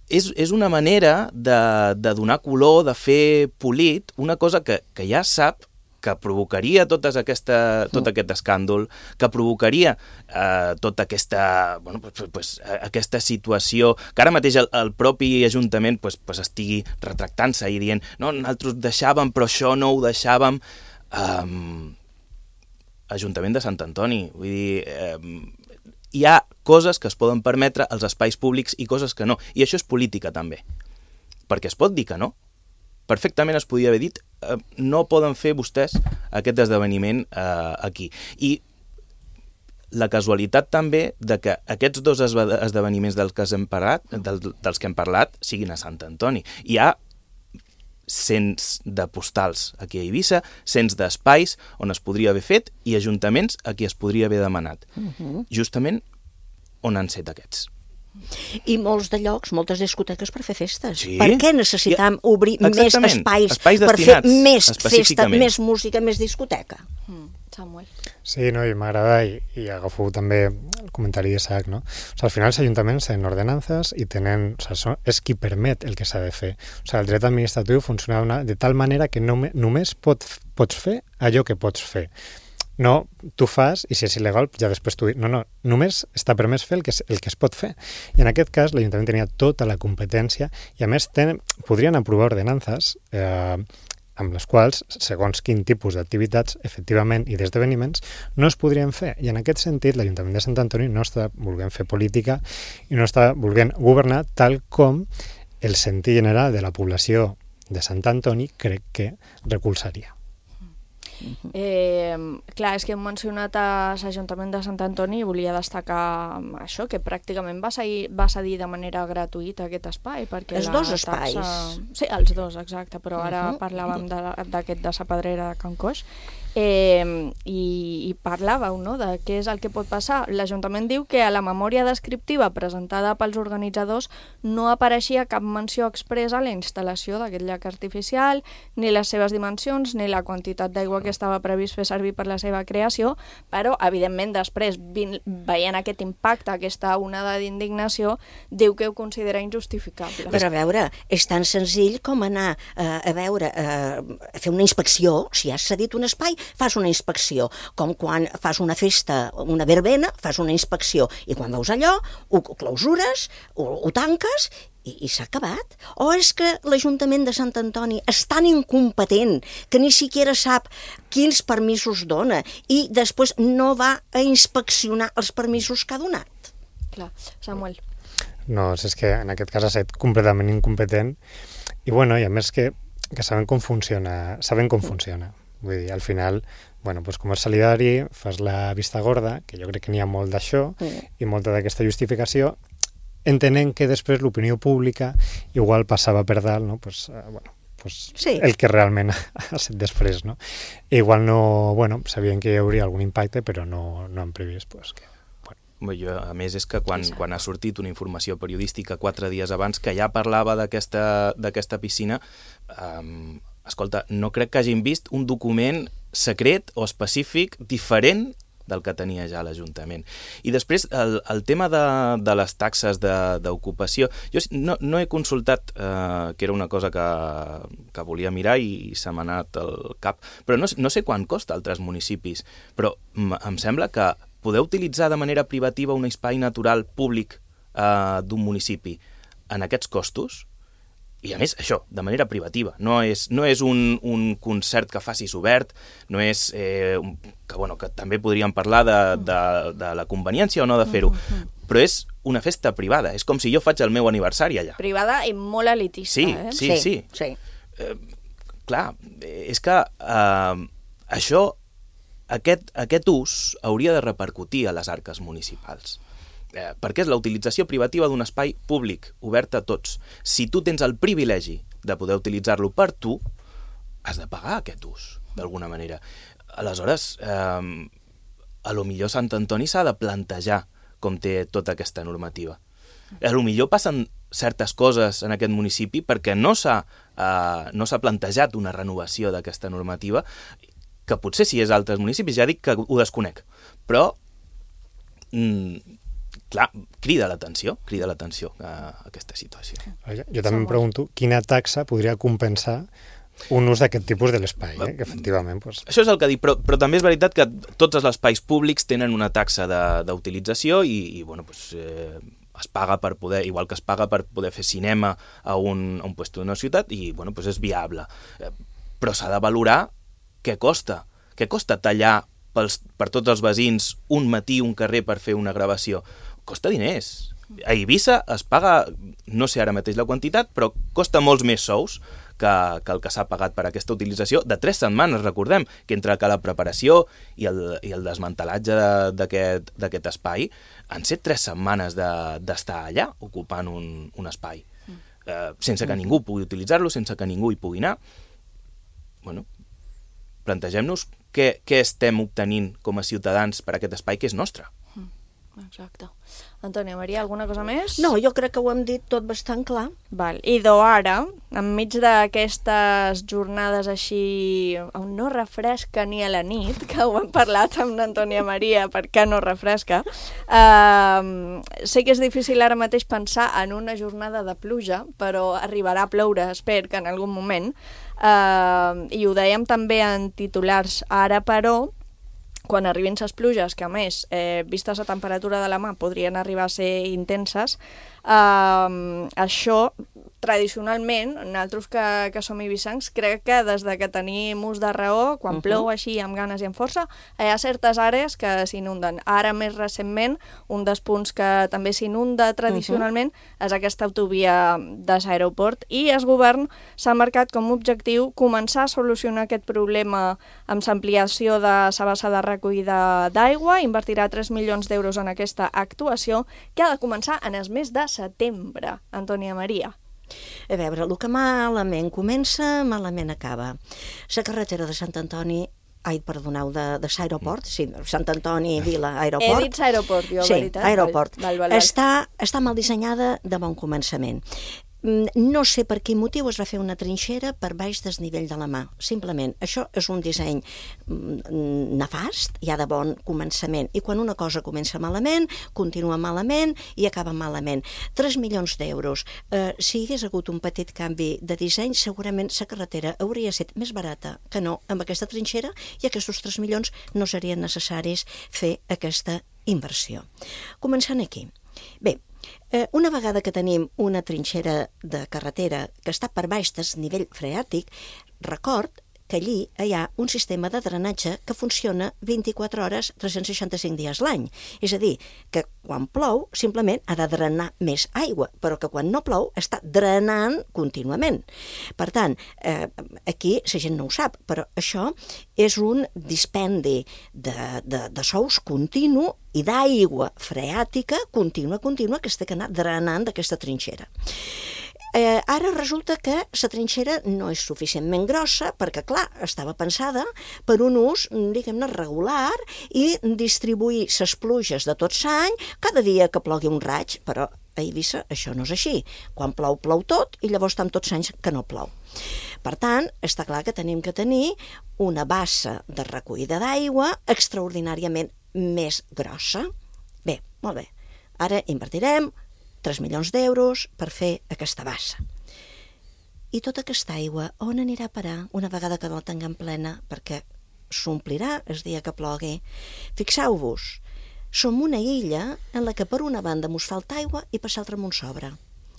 És, és una manera de, de donar color, de fer polit, una cosa que, que ja sap que provocaria totes aquesta, tot aquest escàndol, que provocaria eh, tota aquesta, bueno, pues, pues, aquesta situació, que ara mateix el, el propi Ajuntament pues, pues, estigui retractant-se i dient no, nosaltres deixàvem, però això no ho deixàvem. Um, Ajuntament de Sant Antoni, vull dir... Um, hi ha coses que es poden permetre als espais públics i coses que no. I això és política, també. Perquè es pot dir que no. Perfectament es podia haver dit eh, no poden fer vostès aquest esdeveniment eh, aquí. I la casualitat també de que aquests dos esdeveniments dels que hem parlat, del, dels que hem parlat siguin a Sant Antoni. Hi ha cents de postals aquí a Eivissa, cents d'espais on es podria haver fet i ajuntaments a qui es podria haver demanat. Uh-huh. Justament on han set aquests. I molts de llocs, moltes discoteques per fer festes. Sí? Per què necessitam ja, obrir exactament. més espais, espais per fer més festa, més música, més discoteca? Mm, Samuel. Sí, no, i m'agrada, i, i agafo també el comentari d'Isaac, no? O sigui, al final els ajuntaments tenen ordenances i tenen, o sigui, és qui permet el que s'ha de fer. O sigui, el dret administratiu funciona una, de tal manera que no, només pot, pots fer allò que pots fer. No, tu fas, i si és il·legal, ja després tu... No, no, només està permès fer el que, el que es pot fer. I en aquest cas, l'Ajuntament tenia tota la competència i, a més, ten, podrien aprovar ordenances eh, amb les quals, segons quin tipus d'activitats, efectivament, i d'esdeveniments, no es podrien fer. I en aquest sentit, l'Ajuntament de Sant Antoni no està volent fer política i no està volent governar tal com el sentir general de la població de Sant Antoni crec que recolzaria. Eh, clar, és que hem mencionat a l'Ajuntament de Sant Antoni i volia destacar això, que pràcticament va, seguir, va cedir de manera gratuïta aquest espai. Perquè els la dos taxa... espais. Sí, els dos, exacte, però ara uh-huh. parlàvem d'aquest de la Pedrera de Can Coix. Eh, i, i parlàveu, no?, de què és el que pot passar. L'Ajuntament diu que a la memòria descriptiva presentada pels organitzadors no apareixia cap menció expressa a la instal·lació d'aquest llac artificial, ni les seves dimensions, ni la quantitat d'aigua que estava previst fer servir per la seva creació, però, evidentment, després, veient aquest impacte, aquesta onada d'indignació, diu que ho considera injustificable. Però a veure, és tan senzill com anar eh, a veure, eh, a fer una inspecció. Si has cedit un espai, fas una inspecció, com quan fas una festa, una verbena, fas una inspecció, i quan veus allò, ho clausures, ho, ho tanques, i, i s'ha acabat. O és que l'Ajuntament de Sant Antoni és tan incompetent que ni siquiera sap quins permisos dona i després no va a inspeccionar els permisos que ha donat? Clar, Samuel. No, és que en aquest cas ha estat completament incompetent i, bueno, i a més que, que saben com funciona, saben com funciona. Vull dir, al final, bueno, doncs com és solidari, fas la vista gorda, que jo crec que n'hi ha molt d'això, mm. i molta d'aquesta justificació, entenent que després l'opinió pública igual passava per dalt, no? Pues, uh, bueno, pues sí. El que realment ha estat després, no? I igual no, bueno, sabien que hi hauria algun impacte, però no, no han previst, pues, que... Jo, a més, és que quan, quan ha sortit una informació periodística quatre dies abans que ja parlava d'aquesta d'aquesta piscina, um, escolta, no crec que hagin vist un document secret o específic diferent del que tenia ja l'Ajuntament. I després, el, el tema de, de les taxes d'ocupació, jo no, no he consultat, eh, que era una cosa que, que volia mirar i, i se m'ha anat al cap, però no, no sé quant costa a altres municipis, però em sembla que poder utilitzar de manera privativa un espai natural públic eh, d'un municipi en aquests costos, i a més, això, de manera privativa. No és, no és un, un concert que facis obert, no és... Eh, que, bueno, que també podríem parlar de, de, de la conveniència o no de fer-ho, però és una festa privada. És com si jo faig el meu aniversari allà. Privada i molt elitista, sí, eh? Sí, sí. sí. sí. Eh, clar, és que eh, això, aquest, aquest ús hauria de repercutir a les arques municipals. Eh, perquè és la utilització privativa d'un espai públic, obert a tots. Si tu tens el privilegi de poder utilitzar-lo per tu, has de pagar aquest ús, d'alguna manera. Aleshores, eh, a lo millor Sant Antoni s'ha de plantejar com té tota aquesta normativa. A lo millor passen certes coses en aquest municipi perquè no s'ha eh, no s'ha plantejat una renovació d'aquesta normativa, que potser si és altres municipis, ja dic que ho desconec, però... Mm, clar, crida l'atenció, crida l'atenció a aquesta situació. Jo, jo també em pregunto quina taxa podria compensar un ús d'aquest tipus de l'espai, eh? Que efectivament... Pues... Això és el que dic, però, però també és veritat que tots els espais públics tenen una taxa d'utilització i, i bueno, pues, eh, es paga per poder, igual que es paga per poder fer cinema a un, a un lloc d'una ciutat i bueno, pues és viable. Eh, però s'ha de valorar què costa. Què costa tallar pels, per tots els veïns un matí un carrer per fer una gravació? Costa diners. A Eivissa es paga, no sé ara mateix la quantitat, però costa molts més sous que, que el que s'ha pagat per aquesta utilització de tres setmanes, recordem, que entre que la preparació i el, i el desmantelatge d'aquest espai han set tres setmanes d'estar de, allà ocupant un, un espai, eh, sense que ningú pugui utilitzar-lo, sense que ningú hi pugui anar. Bueno, plantegem-nos què, què estem obtenint com a ciutadans per aquest espai que és nostre. Exacte. Antònia Maria, alguna cosa més? No, jo crec que ho hem dit tot bastant clar. Val. I do ara, enmig d'aquestes jornades així on no refresca ni a la nit, que ho hem parlat amb l'Antònia Maria perquè no refresca, eh, sé que és difícil ara mateix pensar en una jornada de pluja, però arribarà a ploure, espero que en algun moment, eh, i ho dèiem també en titulars ara, però quan arribin les pluges, que a més, eh, vistes la temperatura de la mà, podrien arribar a ser intenses, eh, això, tradicionalment, nosaltres que, que som ibicencs, crec que des de que tenim ús de raó, quan uh-huh. plou així amb ganes i amb força, hi ha certes àrees que s'inunden. Ara, més recentment, un dels punts que també s'inunda tradicionalment uh-huh. és aquesta autovia de l'aeroport, i el govern s'ha marcat com a objectiu començar a solucionar aquest problema amb l'ampliació de la bassa de recollida d'aigua, invertirà tres milions d'euros en aquesta actuació, que ha de començar en el mes de setembre. Antònia Maria. A veure, el que malament comença, malament acaba. La carretera de Sant Antoni, ai, perdoneu, de, de l'aeroport, sí, Sant Antoni, Vila, aeroport. He dit l'aeroport, jo, sí, veritat. Sí, aeroport. Val, val, val, val. Està, està mal dissenyada de bon començament. No sé per quin motiu es va fer una trinxera per baix del nivell de la mà. Simplement, això és un disseny nefast, ja de bon començament. I quan una cosa comença malament, continua malament i acaba malament. tres milions d'euros. Eh, si hi hagués hagut un petit canvi de disseny, segurament la carretera hauria estat més barata que no amb aquesta trinxera, i aquests tres milions no serien necessaris fer aquesta inversió. Començant aquí. Bé, Eh, una vegada que tenim una trinxera de carretera que està per baix del nivell freàtic, record que allí hi ha un sistema de drenatge que funciona vint-i-quatre hores, tres-cents seixanta-cinc dies l'any. És a dir, que quan plou simplement ha de drenar més aigua, però que quan no plou està drenant contínuament. Per tant, eh, aquí la gent no ho sap, però això és un dispendi de, de, de sous continu i d'aigua freàtica contínua, contínua, que es té que anar drenant d'aquesta trinxera. Eh, ara resulta que la trinxera no és suficientment grossa perquè, clar, estava pensada per un ús, diguem-ne, regular i distribuir les pluges de tot l'any cada dia que plogui un raig, però a Eivissa això no és així. Quan plou, plou tot, i llavors estan tots anys que no plou. Per tant, està clar que tenim que tenir una bassa de recollida d'aigua extraordinàriament més grossa. Bé, molt bé. Ara invertirem tres milions d'euros per fer aquesta bassa. I tota aquesta aigua on anirà a parar una vegada que la tinguem plena? Perquè s'omplirà el dia que plogui. Fixeu-vos, som una illa en la que per una banda mos falta aigua i per l'altra mos sobra.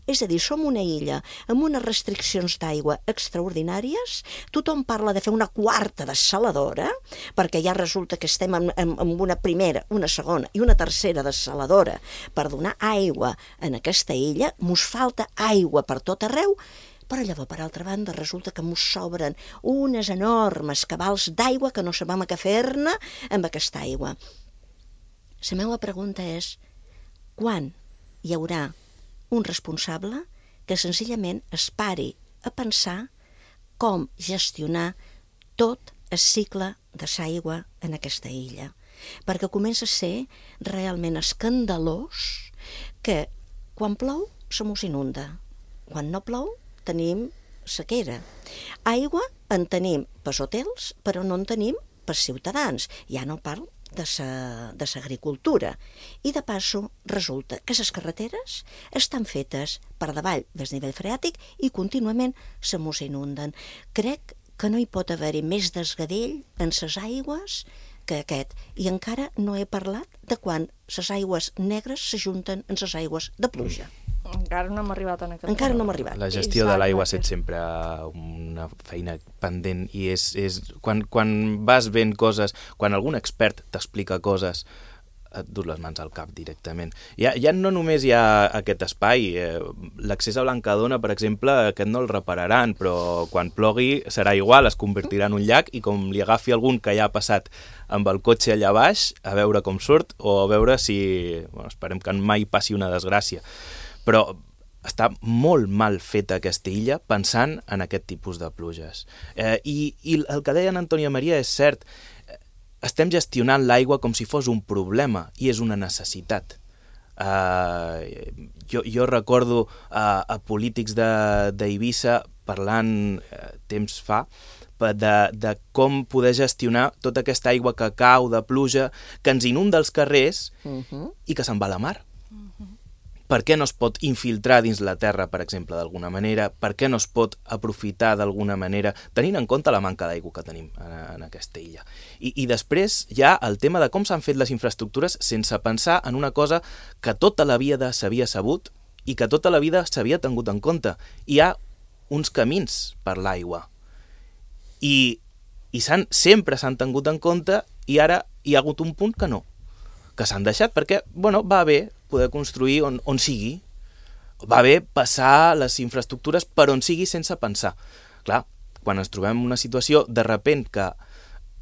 És a dir, som una illa amb unes restriccions d'aigua extraordinàries, tothom parla de fer una quarta dessaladora, perquè ja resulta que estem amb, amb una primera, una segona i una tercera dessaladora per donar aigua en aquesta illa, mos falta aigua per tot arreu, però llavors, per altra banda, resulta que mos sobren unes enormes cabals d'aigua que no sabem què fer-ne amb aquesta aigua. La meva pregunta és, quan hi haurà un responsable que senzillament es pari a pensar com gestionar tot el cicle de l'aigua en aquesta illa? Perquè comença a ser realment escandalós que quan plou se mos inunda, quan no plou tenim sequera. Aigua en tenim pels hotels, però no en tenim pels ciutadans. Ja no parlo de l'agricultura. I de passo resulta que les carreteres estan fetes per davall del nivell freàtic i contínuament se mos inunden. Crec que no hi pot haver-hi més desgavell en les aigües que aquest. I encara no he parlat de quan les aigües negres s'ajunten amb les aigües de pluja. Encara no hem arribat en aquest Encara no hem arribat. La gestió de l'aigua ha estat sempre una feina pendent i és, és quan, quan vas veient coses, quan algun expert t'explica coses, et dut les mans al cap directament. Ja, ja no només hi ha aquest espai, eh, l'accés a Blancadona, per exemple, aquest no el repararan, però quan plogui serà igual, es convertirà en un llac i com li agafi algun que ja ha passat amb el cotxe allà baix, a veure com surt o a veure si... Bueno, esperem que mai passi una desgràcia. Però està molt mal feta aquesta illa pensant en aquest tipus de pluges. Eh, i, I el que deia en Antònia Maria és cert, estem gestionant l'aigua com si fos un problema i és una necessitat. Eh, jo, jo recordo a, a polítics d'Eivissa parlant eh, temps fa de, de com poder gestionar tota aquesta aigua que cau de pluja, que ens inunda els carrers uh-huh. i que se'n va a la mar. Uh-huh. Per què no es pot infiltrar dins la terra, per exemple, d'alguna manera? Per què no es pot aprofitar d'alguna manera, tenint en compte la manca d'aigua que tenim en, en aquesta illa? I, I després hi ha el tema de com s'han fet les infraestructures sense pensar en una cosa que tota la vida s'havia sabut i que tota la vida s'havia tingut en compte. Hi ha uns camins per l'aigua. I, i s'han, sempre s'han tingut en compte i ara hi ha hagut un punt que no, que s'han deixat perquè, bueno, va bé poder construir on, on sigui, va bé passar les infraestructures per on sigui sense pensar. Clar, quan ens trobem en una situació de repent que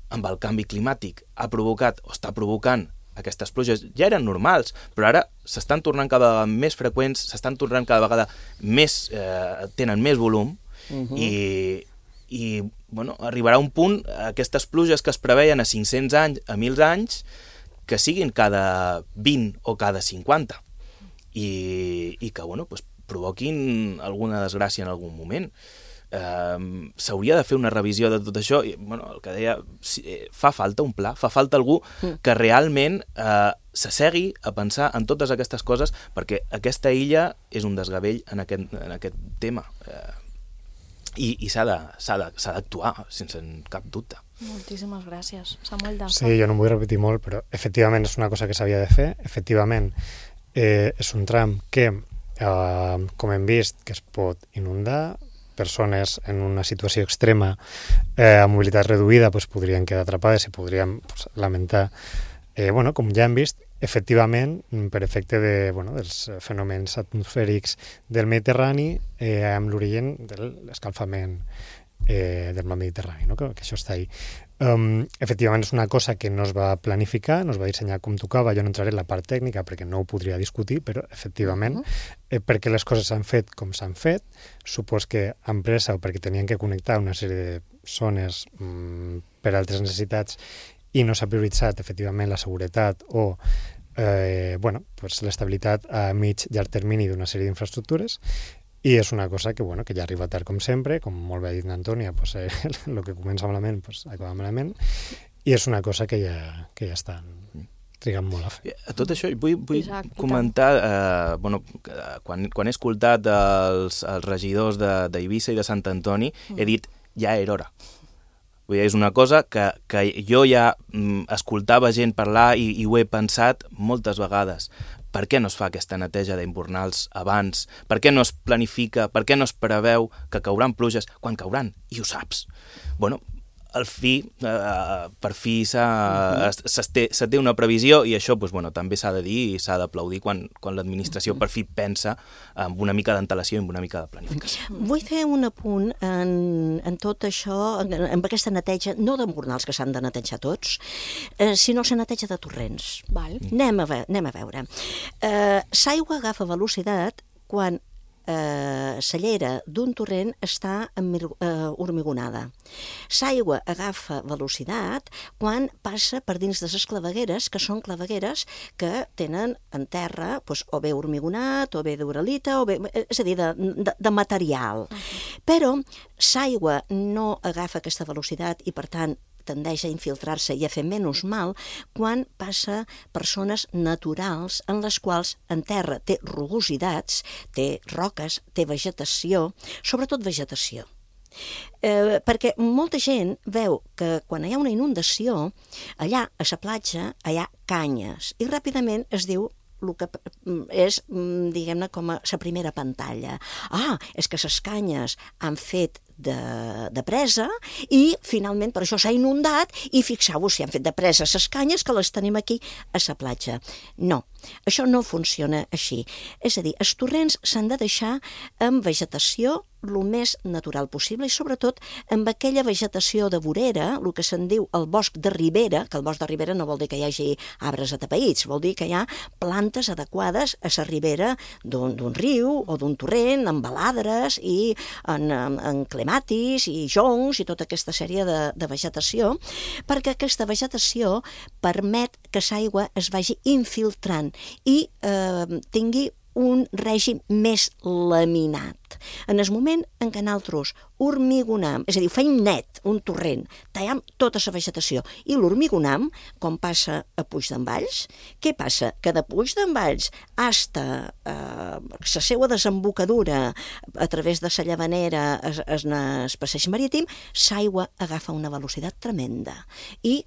amb el canvi climàtic ha provocat o està provocant aquestes pluges, ja eren normals, però ara s'estan tornant cada vegada més freqüents, s'estan tornant cada vegada més, eh, tenen més volum uh-huh. i, i bueno, arribarà un punt, aquestes pluges que es preveien a cinc-cents anys, a mil anys, que siguin cada vint o cada cinquanta i, i que bueno, pues, provoquin alguna desgràcia en algun moment. Eh, s'hauria de fer una revisió de tot això i bueno, el que deia, fa falta un pla, fa falta algú que realment eh, s'assegui a pensar en totes aquestes coses perquè aquesta illa és un desgavell en aquest, en aquest tema. Eh, i, i s'ha d'actuar sense cap dubte. Moltíssimes gràcies, Samuel Daza. Sí, jo no em vull repetir molt, però efectivament és una cosa que s'havia de fer. Efectivament, eh, és un tram que, eh, com hem vist, que es pot inundar. Persones en una situació extrema, eh, amb mobilitat reduïda, pues, podrien quedar atrapades i podríem pues, lamentar. Eh, bueno, com ja hem vist, efectivament, per efecte de, bueno, dels fenòmens atmosfèrics del Mediterrani, eh, amb l'origen de l'escalfament eh, del mar Mediterrani, no? que, que això està ahí. Um, efectivament és una cosa que no es va planificar, no es va dissenyar com tocava, jo no entraré en la part tècnica perquè no ho podria discutir, però efectivament, eh, perquè les coses s'han fet com s'han fet, supos que amb pressa o perquè tenien que connectar una sèrie de zones mm, per altres necessitats i no s'ha prioritzat efectivament la seguretat o eh, bueno, pues l'estabilitat a mig llarg termini d'una sèrie d'infraestructures. I és una cosa que, bueno, que ja arriba tard com sempre, com molt bé ha dit Antònia, pues, eh, el que comença malament pues, acaba malament, i és una cosa que ja, que ja està triguen molt a fer. A tot això vull, vull Isaac, comentar, eh, bueno, quan, quan he escoltat els, els regidors d'Eivissa i de Sant Antoni, mm. he dit, ja era hora. Vull dir, és una cosa que, que jo ja mm, escoltava gent parlar i, i ho he pensat moltes vegades. Per què no es fa aquesta neteja d'imbornals abans? Per què no es planifica? Per què no es preveu que cauran pluges quan cauran? I ho saps. Bueno, al fi, eh, per fi se té una previsió i això doncs, bueno, també s'ha de dir i s'ha d'aplaudir quan, quan l'administració per fi pensa amb una mica d'antelació i amb una mica de planificació. Vull fer un apunt en, en tot això, en, en aquesta neteja, no d'embornals que s'han de netejar tots, eh, sinó la neteja de torrents. Val. Anem, a ve anem a veure. Eh, L'aigua agafa velocitat quan Eh, la llera d'un torrent està eh, hormigonada. L'aigua agafa velocitat quan passa per dins de les clavegueres, que són clavegueres que tenen en terra doncs, o bé hormigonat, o bé d'uralita, o bé, és a dir, de, de, de material. Uh-huh. Però l'aigua no agafa aquesta velocitat i, per tant, tendeix a infiltrar-se i a fer menys mal quan passa per zones naturals en les quals en terra té rugositats, té roques, té vegetació, sobretot vegetació. Eh, perquè molta gent veu que quan hi ha una inundació, allà a la platja hi ha canyes i ràpidament es diu el que és, diguem-ne, com a la primera pantalla. Ah, és que les canyes han fet de, de presa i finalment per això s'ha inundat i fixeu-vos si han fet de presa les canyes que les tenim aquí a la platja. No, això no funciona així. És a dir, els torrents s'han de deixar amb vegetació el més natural possible i sobretot amb aquella vegetació de vorera, el que se'n diu el bosc de ribera, que el bosc de ribera no vol dir que hi hagi arbres atapeïts, vol dir que hi ha plantes adequades a la ribera d'un riu o d'un torrent, amb baladres i en, en, en clematis i joncs i tota aquesta sèrie de, de vegetació, perquè aquesta vegetació permet que l'aigua es vagi infiltrant i eh, tingui un règim més laminat. En el moment en què nosaltres hormigonam, és a dir, feim net un torrent, tallem tota la vegetació i l'hormigonam, com passa a Puig d'en Valls, què passa? Que de Puig d'en Valls fins a eh, la seva desembocadura a través de la Llavanera es, es, es passeig marítim, l'aigua agafa una velocitat tremenda i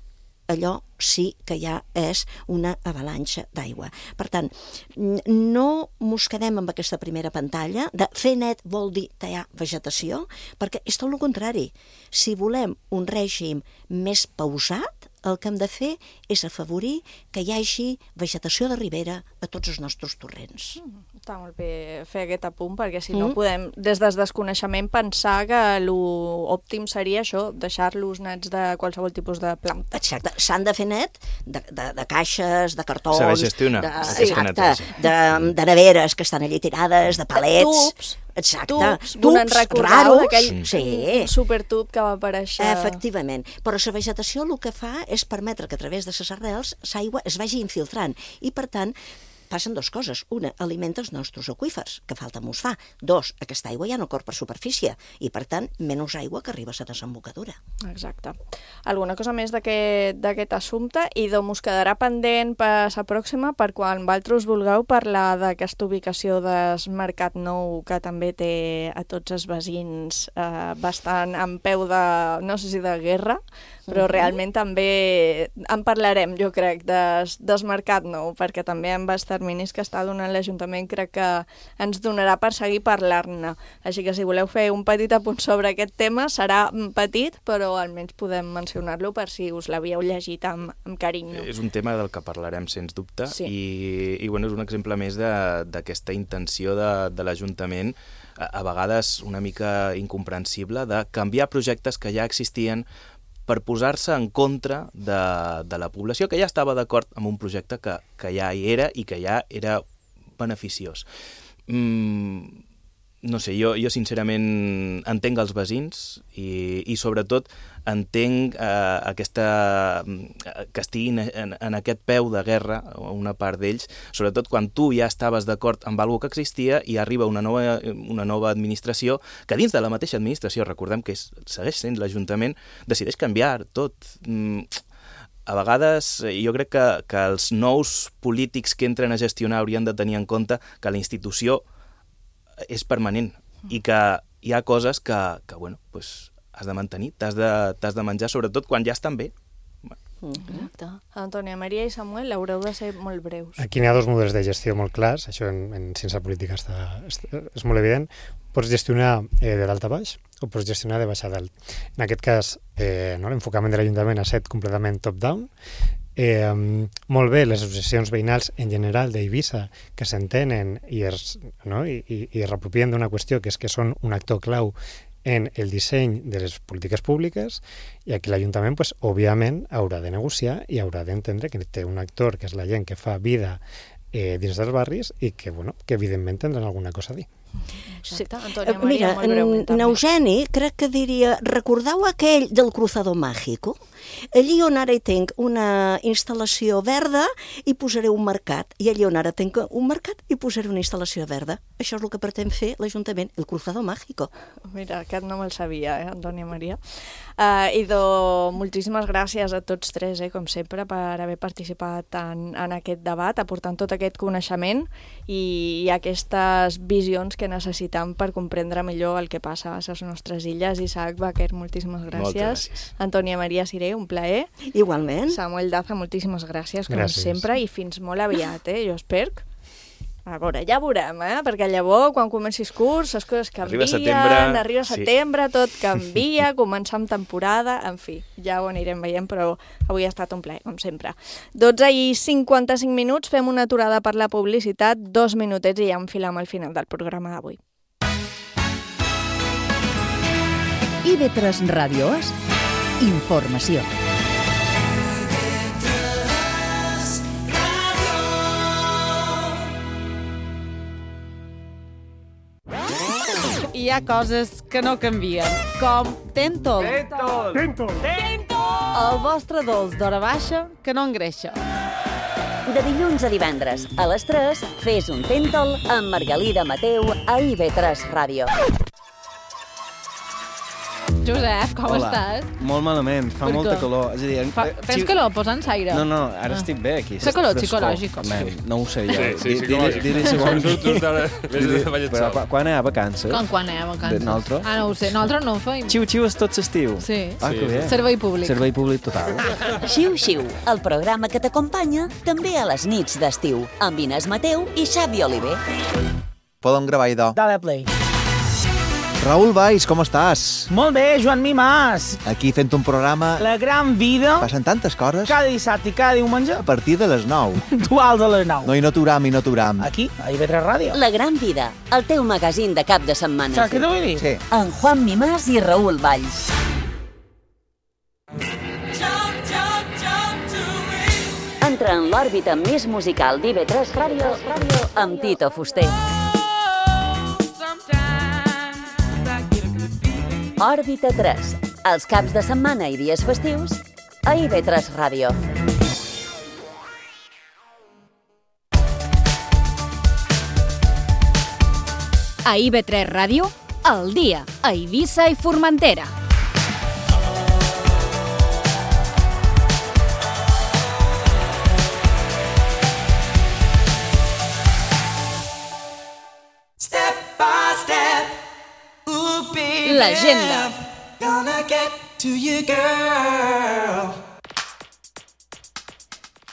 allò sí que ja és una avalanxa d'aigua. Per tant, no mos quedem amb aquesta primera pantalla de fer net vol dir tallar vegetació, perquè és tot el contrari. Si volem un règim més pausat, el que hem de fer és afavorir que hi hagi vegetació de ribera a tots els nostres torrents. Mm, està molt bé fer aquest apunt, perquè si no mm. podem, des del desconeixement, pensar que l'òptim seria això, deixar-los nets de qualsevol tipus de planta. Exacte, s'han de fer net de, de, de caixes, de cartons, saber gestionar, de, exacte, de, de neveres que estan allà tirades, de palets... Tubs. Exacte, tubs, tubs raros, d'aquell sí. supertub que va aparèixer. Efectivament, però la vegetació el que fa és permetre que a través de les arrels l'aigua es vagi infiltrant i, per tant, passen dues coses. Una, alimenta els nostres aqüífers, que falta mos fa. Dos, aquesta aigua ja no corre per superfície i, per tant, menys aigua que arriba a la desembocadura. Exacte. Alguna cosa més d'aquest assumpte i d'on us quedarà pendent per la pròxima per quan vosaltres vulgueu parlar d'aquesta ubicació del Mercat Nou que també té a tots els veïns eh, bastant en peu de, no sé si de guerra, però uh-huh. realment també en parlarem, jo crec, des, des Mercat Nou, perquè també amb els terminis que està donant l'Ajuntament crec que ens donarà per seguir parlant-ne. Així que si voleu fer un petit apunt sobre aquest tema, serà petit, però almenys podem mencionar-lo per si us l'havíeu llegit amb, amb carinyo. És un tema del que parlarem, sens dubte, sí. i, i bueno, és un exemple més d'aquesta intenció de, de l'Ajuntament, a, a vegades una mica incomprensible, de canviar projectes que ja existien per posar-se en contra de, de la població que ja estava d'acord amb un projecte que, que ja hi era i que ja era beneficiós. Mm, no sé, jo, jo sincerament entenc els veïns i, i sobretot entenc eh, aquesta, que estiguin en, en aquest peu de guerra, una part d'ells, sobretot quan tu ja estaves d'acord amb alguna que existia i arriba una nova, una nova administració que dins de la mateixa administració, recordem que és, segueix sent l'Ajuntament, decideix canviar tot. Mm, a vegades jo crec que, que els nous polítics que entren a gestionar haurien de tenir en compte que la institució és permanent i que hi ha coses que, que bueno, pues, has de mantenir, t'has de, t'has de menjar, sobretot quan ja estan bé. Exacte. Antònia Maria i Samuel, haureu de ser molt breus. Aquí n'hi ha dos models de gestió molt clars, això en, en ciència política està, està, és molt evident. Pots gestionar eh, de dalt a baix o pots gestionar de baix a dalt. En aquest cas, eh, no, l'enfocament de l'Ajuntament ha estat completament top-down. Eh, molt bé, les associacions veïnals en general d'Eivissa que s'entenen i es, no, i, i, i es repropien d'una qüestió que és que són un actor clau en el disseny de les polítiques públiques i aquí l'Ajuntament, pues, òbviament, haurà de negociar i haurà d'entendre que té un actor que és la gent que fa vida eh, dins dels barris i que, bueno, que evidentment tindran alguna cosa a dir. Exacte. Antònia Maria, Mira, molt breument també. Eugeni crec que diria, recordeu aquell del Cruzado Mágico? Allí on ara hi tinc una instal·lació verda hi posaré un mercat, i allí on ara tinc un mercat hi posaré una instal·lació verda. Això és el que pretén fer l'Ajuntament, el Cruzado Mágico. Mira, aquest no me'l sabia, eh, Antònia Maria. Uh, Idò, moltíssimes gràcies a tots tres, eh, com sempre, per haver participat en, en aquest debat, aportant tot aquest coneixement i, i aquestes visions que necessitam per comprendre millor el que passa a les nostres illes. Isaac Baquer, moltíssimes gràcies. gràcies. Antònia Maria Siré, un plaer. Igualment. Samuel Daza, moltíssimes gràcies, com gràcies. sempre, i fins molt aviat, eh? Jo espero. A veure, ja veurem, eh? Perquè llavors, quan comencis curs, les coses canvien, arriba setembre, arriba setembre sí. Tot canvia, començar amb temporada, en fi, ja ho anirem veient, però avui ha estat un plaer, com sempre. dotze i cinquanta-cinc minuts, fem una aturada per la publicitat, dos minutets i ja enfilem al final del programa d'avui. I ve tres Ràdios, informació. Hi ha coses que no canvien, com Tentol. Tentol! Tentol! Tentol! El vostre dolç d'hora baixa que no engreixa. De dilluns a divendres, a les tres, fes un Tentol amb Margalida Mateu a I ve tres Ràdio. Josep, com Hola. estàs? Molt malament, fa Per molta què? calor. És a dir, Fa, eh, tens xi- calor? Posa'ns aire. No, no, ara Ah. estic bé aquí. Fa calor frescor. psicològic, o Man, sí? no ho sé jo. Sí, sí, Di- psicològic. Diré segons... Quan surts d'ara, vés de ballet Però sol. qua- quan hi ha vacances? Com quan hi ha vacances? De nosaltres? Ah, no ho sé. Nosaltres no ho feim. Xiu-xiu és tot l'estiu. Sí. Ah, que bé. Servei públic. Servei públic total. Xiu-xiu, el programa que t'acompanya també a les nits d'estiu, amb Inés Mateu i Xavi Oliver. Podem gravar, idò. Dale play. Raül Valls, com estàs? Molt bé, Joan Mimàs. Aquí fent un programa... La gran vida. Passen tantes coses. Cada dissabte i cada diumenge. A partir de les nou. Dual de les nou. No, i no aturam, i no aturam. Aquí, a I ve tres Ràdio. La gran vida, el teu magazín de cap de setmana. Saps què t'ho vull dir? Sí. En Juan Mimàs i Raül Valls. Entra en l'òrbita més musical d'I ve tres Ràdio amb Tito Fuster. Òrbita tres, els caps de setmana i dies festius a I ve tres Ràdio. A I ve tres Ràdio, al dia, a Eivissa i Formentera. L'agenda.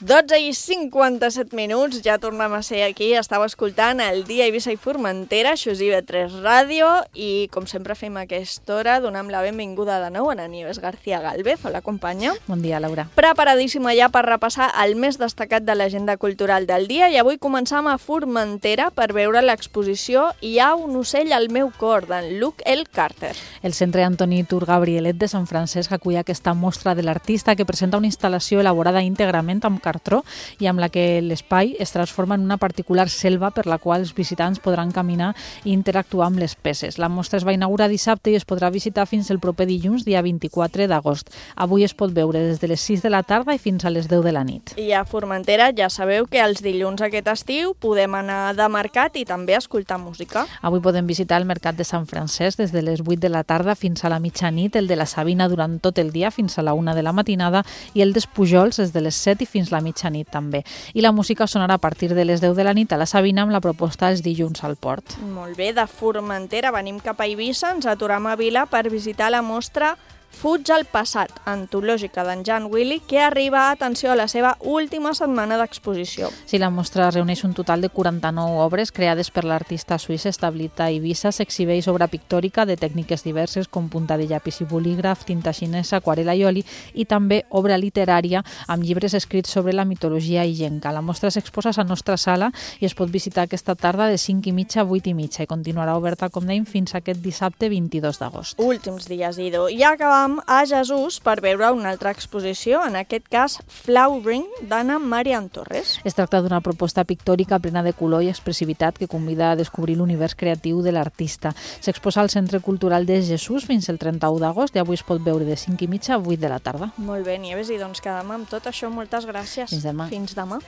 dotze i cinquanta-set minuts, ja tornem a ser aquí, estàu escoltant el dia Eivissa i Formentera, això és I ve tres Ràdio, i com sempre fem a aquesta hora, donem la benvinguda de nou a la Nieves García Gálvez. Hola, companya. Bon dia, Laura. Preparadíssima ja per repassar el més destacat de l'agenda cultural del dia, i avui començam a Formentera per veure l'exposició Hi ha un ocell al meu cor, d'en Luke L. Carter. El Centre Antoni Tur Gabrielet de Sant Francesc acull aquesta mostra de l'artista que presenta una instal·lació elaborada íntegrament amb cartró i amb la que l'espai es transforma en una particular selva per la qual els visitants podran caminar i interactuar amb les peces. La mostra es va inaugurar dissabte i es podrà visitar fins el proper dilluns, dia vint-i-quatre d'agost. Avui es pot veure des de les sis de la tarda i fins a les deu de la nit. I a Formentera ja sabeu que els dilluns aquest estiu podem anar de mercat i també escoltar música. Avui podem visitar el Mercat de Sant Francesc des de les vuit de la tarda fins a la mitjanit, el de la Sabina durant tot el dia fins a la una de la matinada i el dels Pujols des de les set i fins la mitjanit també. I la música sonarà a partir de les deu de la nit a la Sabina amb la proposta els dilluns al Port. Molt bé, de Formentera venim cap a Eivissa, ens aturem a Vila per visitar la mostra Fuig al passat, antològica d'en Jan Willy, que arriba, atenció, a la seva última setmana d'exposició. Sí, la mostra reuneix un total de quaranta-nou obres creades per l'artista suís establit a Eivissa. S'exhibeix obra pictòrica de tècniques diverses com punta de llapis i bolígraf, tinta xinesa, aquarela i oli, i també obra literària amb llibres escrits sobre la mitologia illenca. La mostra s'exposa a la nostra sala i es pot visitar aquesta tarda de cinc i mitja a vuit i mitja i continuarà oberta, com dèiem, fins aquest dissabte vint-i-dos d'agost. Últims dies, Ido. I acabam a Jesús per veure una altra exposició, en aquest cas Flowering, d'Anna Marian Torres. Es tracta d'una proposta pictòrica plena de color i expressivitat que convida a descobrir l'univers creatiu de l'artista. S'exposa al Centre Cultural de Jesús fins el trenta-u d'agost i avui es pot veure de cinc i mitja a vuit de la tarda. Molt bé, Nieves, i doncs quedem amb tot això. Moltes gràcies. Fins demà. Fins demà.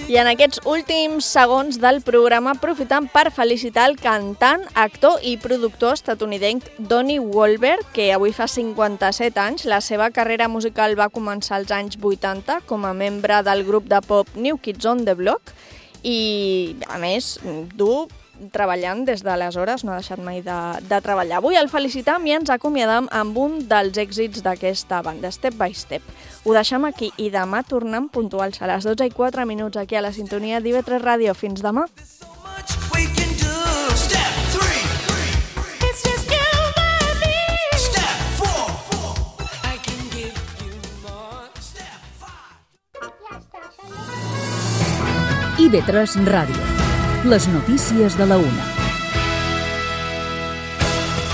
I en aquests últims segons del programa aprofitant per felicitar el cantant, actor i productor estatunidenc Donnie Wahlberg, que avui fa cinquanta-set anys. La seva carrera musical va començar als anys vuitanta com a membre del grup de pop New Kids on the Block i, a més, dur treballant des d'aleshores, no ha deixat mai de, de treballar. Avui el felicitam i ens acomiadam amb un dels èxits d'aquesta banda, Step by Step. Ho deixem aquí i demà tornem puntuals a les dotze i quatre minuts aquí a la sintonia d'I V tres Ràdio. Fins demà. I V tres Ràdio. Les notícies de la una.